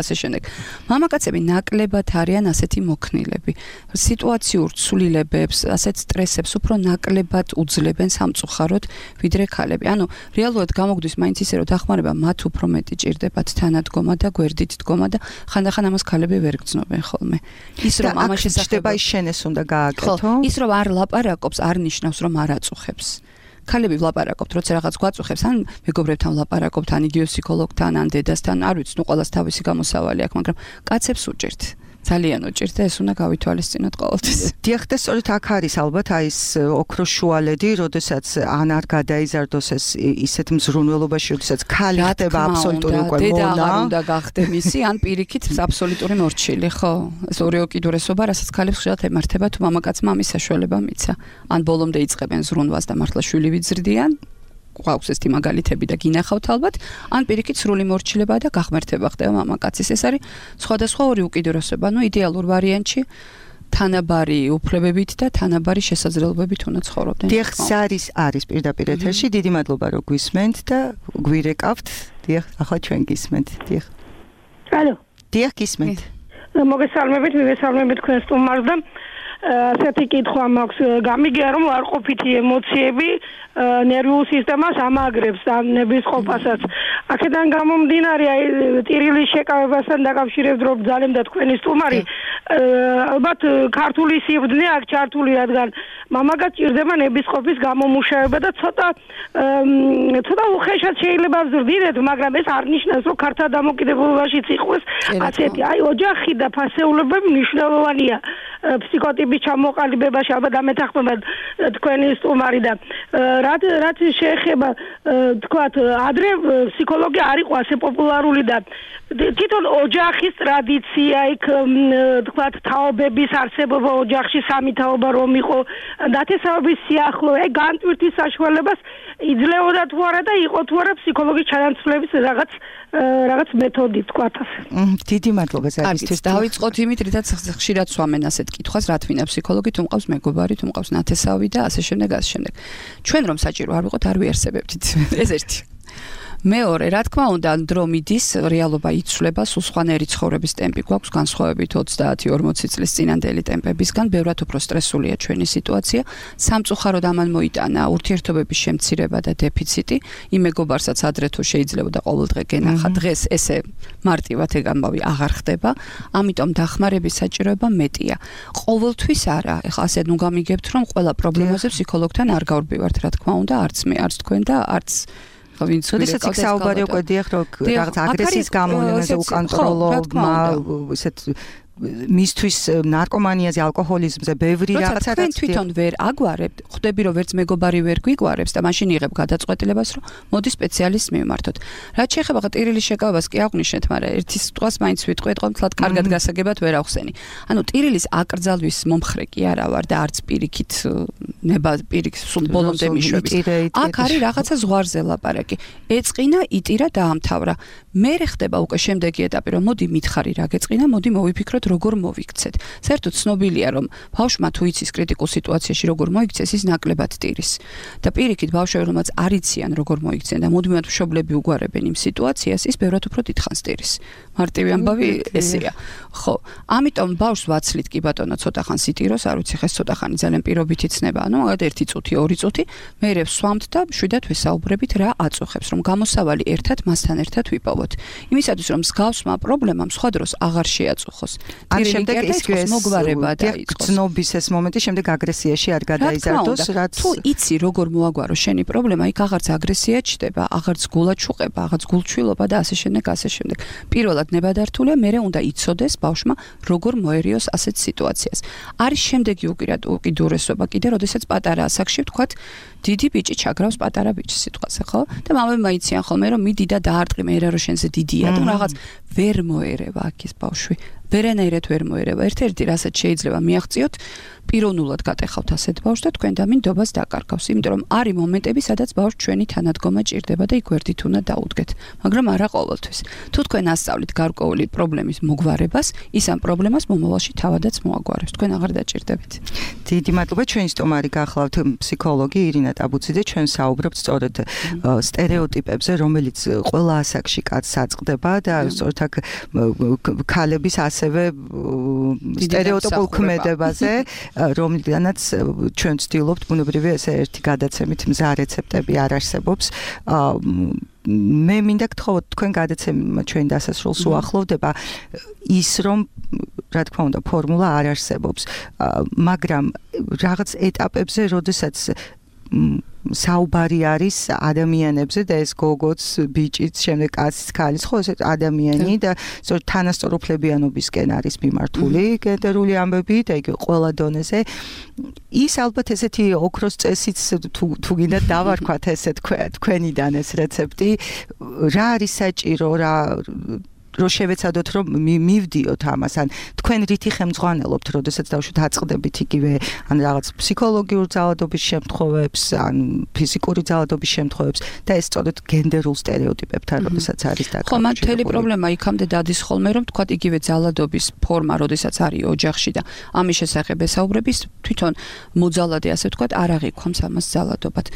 Speaker 7: ასე შემდეგ. მამაკაცები ნაკლებად არიან ასეთი მოქნილები. სიტუაციურ ცვლილებებს, ასეთ სტრესებს უფრო ნაკლებად უძლებენ სამწუხაროდ ვიდრე ქალები. ანუ რეალურად გამოგდის მაინც ისე რომ დახმარება მათ უფრო მეტი ჭირდებათ თანადგომა და გვერდით დგომა და ხანდახან ამას ქალები ვერ გრძნობენ ხოლმე. ის რომ ამაში
Speaker 3: შესაძლოა შენეს უნდა გააკეთო.
Speaker 7: ის რომ არ ლაპარაკობს, არ ნიშნავს რომ არ აწუხებს. ქალები ვლაპარაკობთ, როცა რაღაც გვაწუხებს, ან მეგობრებთან ვლაპარაკობთ, ან იგივე ფსიქოლოგთან, ან დედასთან, არ ვიცი, ნუ ყველას თავისი გამოსავალი აქვს, მაგრამ კაცებს უჭირთ. ძალიან უჭირთ და ეს უნდა გავითვალისწინოთ ყოველთვის.
Speaker 3: დიახ, და სწორედ აქ არის ალბათ აი ეს ოქროს შუალედი, როდესაც ან არ გადაიზარდოს ეს ისეთ მზრუნველობაში, როდესაც ქალი ხდება აბსოლუტური უკვე მონა.
Speaker 7: დედა აღარ უნდა გახდე მისი, ან პირიქით აბსოლუტური მორჩილი, ხო? ეს ორი უკიდურესობა, რასაც ქალებს ხშირად ემართება თუ მამაკაცმა ამის საშუალება მიცა. ან ბოლომდე იწყებენ ზრუნვას და მართლა შვილი ვიძრდიან. გვაქვს ეს მაგალითები და გინახავთ ალბათ, ან პირიქით სრული მორჩილება და გახმერთება ხდება მამაკაცის. ეს არის სხვადასხვა ორი უკიდურესობა, ну იდეალურ ვარიანტში თანაბარი უფლებებით და თანაბარი შესაძლებლობებით უნდა ცხოვრობდნენ.
Speaker 3: დიახ, სარის არის პირდაპირ ეთერში. დიდი მადლობა რომ გვისმენთ და გვირეკავთ. დიახ, ახლა ჩვენ გისმენთ. დიახ.
Speaker 8: ალო.
Speaker 3: დიახ, გისმენთ.
Speaker 8: მოგესალმებით, მივესალმებით თქვენ სტუმარს და ასეთი კითხვა მაქვს. გამიგია რომ უარყოფითი ემოციები ნერვულ სისტემას ამაგრებს და ნებისყოფასაც. აქედან გამომდინარე, აი ტირილის შეკავებასთან დაკავშირებით რომ ძალემდა თქვენი სტუმარი, ალბათ ქართული სიბრძნე აქ ჩართული, რადგან მამაკაც ჭირდება ნებისყოფის გამომუშავება და ცოტა უხეშად შეიძლება ვზრდიდეთ, მაგრამ ეს არ ნიშნავს რომ ქართულ დამოკიდებულებაშიც იყოს ასეთი. აი ოჯახი და ფასეულებები მნიშვნელოვანია ფსიქოტიპის ჩამოყალიბებაში, ალბათ ამეთანხმება თქვენი სტუმარი და რაც შეეხება თქვათ ადრე ფსიქოლოგია არ იყო ასე პოპულარული და თვითონ ოჯახის ტრადიცია იქ თქვათ თაობების არსებობა ოჯახში სამი თაობა რომ იყო ნათესავების სიახლოვე განტვირთის საშუალებას იძლეოდა თუ არა და იყო თუ არა ფსიქოლოგის ჩანაცვლების რაღაც მეთოდი თქვათ ასე.
Speaker 3: დიდი მადლობა ზარისთვის.
Speaker 7: დავიწყოთ იმით, რითაც ხშირად სვამენ ასეთ კითხვას, რა თქმა უნდა ფსიქოლოგი თუ მყავს მეგობარი, თუ მყავს ნათესავი და ასე შემდეგ. ჩვენ რომ საჭირო არ ვიყოთ, არ ვიარსებებდით. ეს ერთი. მეორე, რა თქმა უნდა, დრო მიდის, რეალობა იცვლება, სულ სხვანაირი ცხოვრების ტემპი გვაქვს, განსხვავებით 30-40 წლის წინანდელი ტემპებისგან, ბევრად უფრო სტრესულია ჩვენი სიტუაცია. სამწუხაროდ ამან მოიტანა ურთიერთობების შემცირება და დეფიციტი. იმ მეგობარსაც ადრე თუ შეიძლებოდა ყოველდღე გენახა, დღეს ესე მარტივად ეგ ამბავი აღარ ხდება, ამიტომ დახმარების საჭიროება მეტია. ყოველთვის არა. ეხლა ასე ნუ გამიგებთ, რომ ყველა პრობლემაზე ფსიქოლოგთან არ გავრბივართ, რა თქმა უნდა, არც მე, არც თქვენ და არც
Speaker 3: როდესაც იქ საუბარი უკვე დიახ რომ რაღაც აგრესიის გამოვლენაზე უკონტროლო ისეთ მისთვის ნარკომანიაზე, ალკოჰოლიზმზე, ბევრი რაღაცა
Speaker 7: თქვენ თვითონ ვერ აგვარებთ, ხვდები რომ ვერც მეგობარი ვერ გვიგვარებს და მაშინ იღებ გადაწყვეტილებას რომ მოდი სპეციალისტს მივმართოთ. რაც შეეხება ტირილის შეკავებას კი აღვნიშნეთ, მაგრამ ერთი სიტყვას მაინც ვიტყვეთ, რომ თლად კარგად გასაგებად ვერ ახსენი. ანუ ტირილის აკრძალვის მომხრე კი არა ვარ და არც პირიქით სულ ბოლომდე მიშვების. აქ არის რაღაცა ზღვარზე ლაპარაკი. ეწყინა, იტირა, დაამთავრა. მერე ხდება უკვე შემდეგი ეტაპი, რომ მოდი მითხარი რა გეწყინა, მოდი მოვიფიქროთ როგორ მოვიქცეთ. საერთოდ ცნობილია, რომ ბავშვმა თუ იცის კრიტიკულ სიტუაციაში როგორ მოიქცეს, ის ნაკლებად ტირის. და პირიქით ბავშვები, რომელსაც არ იციან როგორ მოიქცენ და მუდმივად მშობლები უგვარებენ იმ სიტუაციას, ის ბევრად უფრო დიდხანს ტირის. მარტივი ამბავი ესეა. ხო, ამიტომ ბავშვს ვაცლით კი ბატონო ცოტა ხანს იტიროს, არ ვიცი ხეს ცოტა ხანი ძალიან პირობითი ცნება, ანუ მაგალითად 1 წუთი, 2 წუთი, მერე ვსვამთ და შვიდად ვესაუბრებით რა აწუხებს, რომ გამოსავალი ერთად მასთან ერთად ვიპოვოთ. იმისათვის რომ მსგავსმა პრობლემამ სხვა დროს აღარ შეაწუხოს.
Speaker 3: ან შემდეგ ის
Speaker 7: მოგვარება დაიწყოს.
Speaker 3: გრძნობის ეს მომენტი შემდეგ აგრესიაში არ გადაიზარდოს, რაც
Speaker 7: თუ იცი როგორ მოაგვარო შენი პრობლემა, იქ აღარც აგრესია ჩდება, აღარც გულაჩუყება, აღარც გულჩვილობა და ასე შემდეგ, ასე შემდეგ. პირველად ნებადართულია, მერე უნდა იცოდეს ბავშვმა როგორ მოერიოს ასეთ სიტუაციას. არის შემდეგი უკიდურესობა კიდე, როდესაც პატარა ასაკში ვთქვათ, დიდი ბიჭი ჩაგრავს პატარა ბიჭს სიტყვაზე, ხო? და მამებმა იციან ხოლმე, რომ მიდი და დაარტყი მე რა რო შენზე დიდია და რაღაც ვერ მოერევა აქ ის ბავშვი. ვერანაირად ვერ მოერევა. ერთ-ერთი რასაც შეიძლება მიაღწიოთ, პიროვნულად გატეხავთ ასეთ ბავშვს და თქვენ დამინდობას დაკარგავს, იმიტომ რომ არის მომენტები, სადაც ბავშვს ჩვენი თანადგომა ჭირდება და იქ ვერდით უნდა დაუდგეთ, მაგრამ არა ყოველთვის. თუ თქვენ ასწავლით გარკვეული პრობლემის მოგვარებას, ის ამ პრობლემას მომავალში თავადაც მოაგვარებს. თქვენ აღარ დაჭირდებით.
Speaker 3: დიდი მადლობა. ჩვენი სტუმარი გახლავთ ფსიქოლოგი ირინა ტაბუციძე. ჩვენ საუბრობთ სწორედ სტერეოტიპებზე, რომელიც ყველა ასაკში კაცს აწყდება და სწორედ აქ ქალების ასევე სტერეოტიპულ ქმედებაზე, რომლიდანაც ჩვენ ვცდილობთ ბუნებრივია ესე ერთი გადაცემით მზა რეცეპტები არ არსებობს. მე მინდა გთხოვოთ თქვენ გადაცემა ჩვენ დასასრულს უახლოვდება ის რომ რა თქმა უნდა ფორმულა არ არსებობს, მაგრამ რაღაც ეტაპებზე, როდესაც საუბარი არის ადამიანებზე და ეს გოგოც, ბიჭიც, შემდეგ კაციც, ქალის, ხო, ეს ადამიანი და თანასწორუფლებიანობისკენ არის მიმართული გენდერული ამბები და იგი ყველა დონეზე. ის ალბათ ესეთი ოქროს წესიც თუ გინდა დავარქვათ ესე თქვენიდან ეს რეცეპტი, რა არის საჭირო, რო შევეცადოთ რომ მივდიოთ ამას, ან თქვენ რითი ხელმძღვანელობთ, როდესაც დავშვით აწყდებით იგივე ან რაღაც ფსიქოლოგიურ ძალადობის შემთხვევებს, ან ფიზიკური ძალადობის შემთხვევებს და ეს სწორედ გენდერულ სტერეოტიპებთან როდესაც არის დაკავშირებული.
Speaker 7: ხო, მთელი პრობლემა იქამდე დადის ხოლმე, რომ თქვათ იგივე ძალადობის ფორმა, როდესაც არის ოჯახში და ამის შესახებ ესაუბრების, თვითონ მოძალადე ასე ვთქვათ, არ აღიქვამს ამას ძალადობად.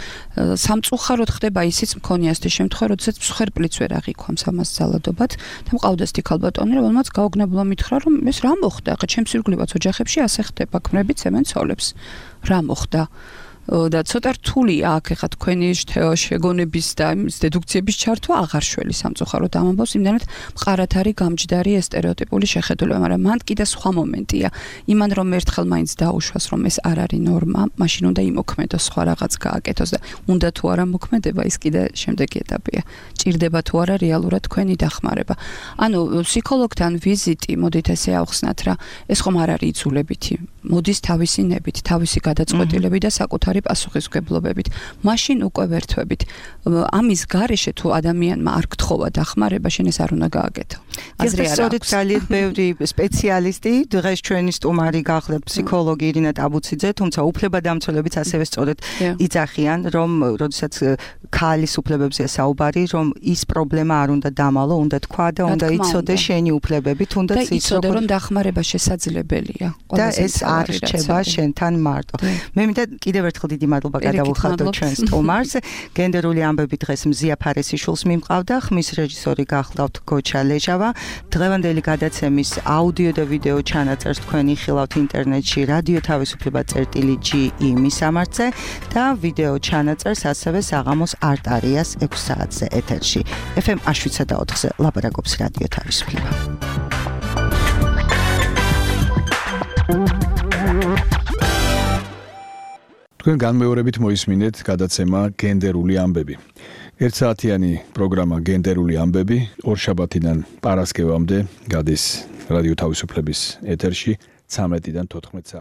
Speaker 7: სამწუხაროდ ხდება ისიც მქონია ასეთი შემთხვევა, როდესაც მსხვერპლიც ვერ აღიქვამს ამას ძალადობად და მყავდა სტიქალბატონი, რომელმაც გაუგნებლო მითხრა, რომ ეს რა მოხდა? ხა ჩემს ირგვლივაც ოჯახებში ასე ხდება, ქმნებით ცემენ ცოლებს. რა მოხდა? და ცოტა რთულია აქ ხა თქვენი შეგონების და დედუქციების ჩართვა აღარ შველი სამწუხაროდ ამ ამბავს, იმდანაც მყარად არის გამჯდარი ეს სტერეოტიპული შეხედულება, მაგრამ მან კიდე სხვა მომენტია. იმან რომ ერთხელ მაინც დაუშვას, რომ ეს არ არის ნორმა, მაშინ უნდა იმოქმედოს, სხვა რაღაც გააკეთოს და უნდა თუ არა მოქმედება, ის კიდე შემდეგი ეტაპია. ჭირდება თუ არა რეალურად თქვენი დახმარება. ანუ ფსიქოლოგთან ვიზიტი, მოდით ესე ავხსნათ რა, ეს ხომ არ არის იძულებითი. მოდის თავისი ნებით, თავისი გადაწყვეტილებით და საკუთარი პასუხისმგებლობებით. მაშინ უკვე ვერთვებით. ამის გარეშე თუ ადამიანმა არ გთხოვა დახმარება, შენ ეს არ უნდა გააკეთო. აზრი არ აქვს.
Speaker 3: ძალიან ბევრი სპეციალისტი, დღეს ჩვენი სტუმარი გახლავთ ფსიქოლოგი ირინა ტაბუციძე, თუმცა უფლებადამცველებიც ასევე სწორედ იძახიან, რომ როდესაც ქალის უფლებებზეა საუბარი, რომ ის პრობლემა არ უნდა დამალო, უნდა თქვა და უნდა იცოდეს შენი უფლებები, თუნდაც
Speaker 7: ის იცოდე, რომ დახმარება შესაძლებელია.
Speaker 3: და ეს არ რჩება შენთან მარტო. მე მინდა კიდევ ერთხელ დიდი მადლობა გადავუხადოთ ჩვენ სტუმარს. გენდერული ამბები დღეს მზია ფარესიშვილს მიმყავდა, ხმის რეჟისორი გახლავთ გოჩა ლეჟავა. დღევანდელი გადაცემის აუდიო და ვიდეო ჩანაწერს თქვენ იხილავთ ინტერნეტში რადიო თავისუფლება.ge მისამართზე და ვიდეო ჩანაწერს ასევე საღამოს არტარიას 6 საათზე ეთერში. FM 107.4-ზე ლაპარაკობს რადიო თავისუფლება.
Speaker 2: თქვენ განმეორებით მოისმინეთ გადაცემა გენდერული ამბები. 1 საათიანი პროგრამა გენდერული ამბები ორშაბათიდან პარასკევამდე გადის რადიო თავისუფლების ეთერში 13-დან 14 საათამდე.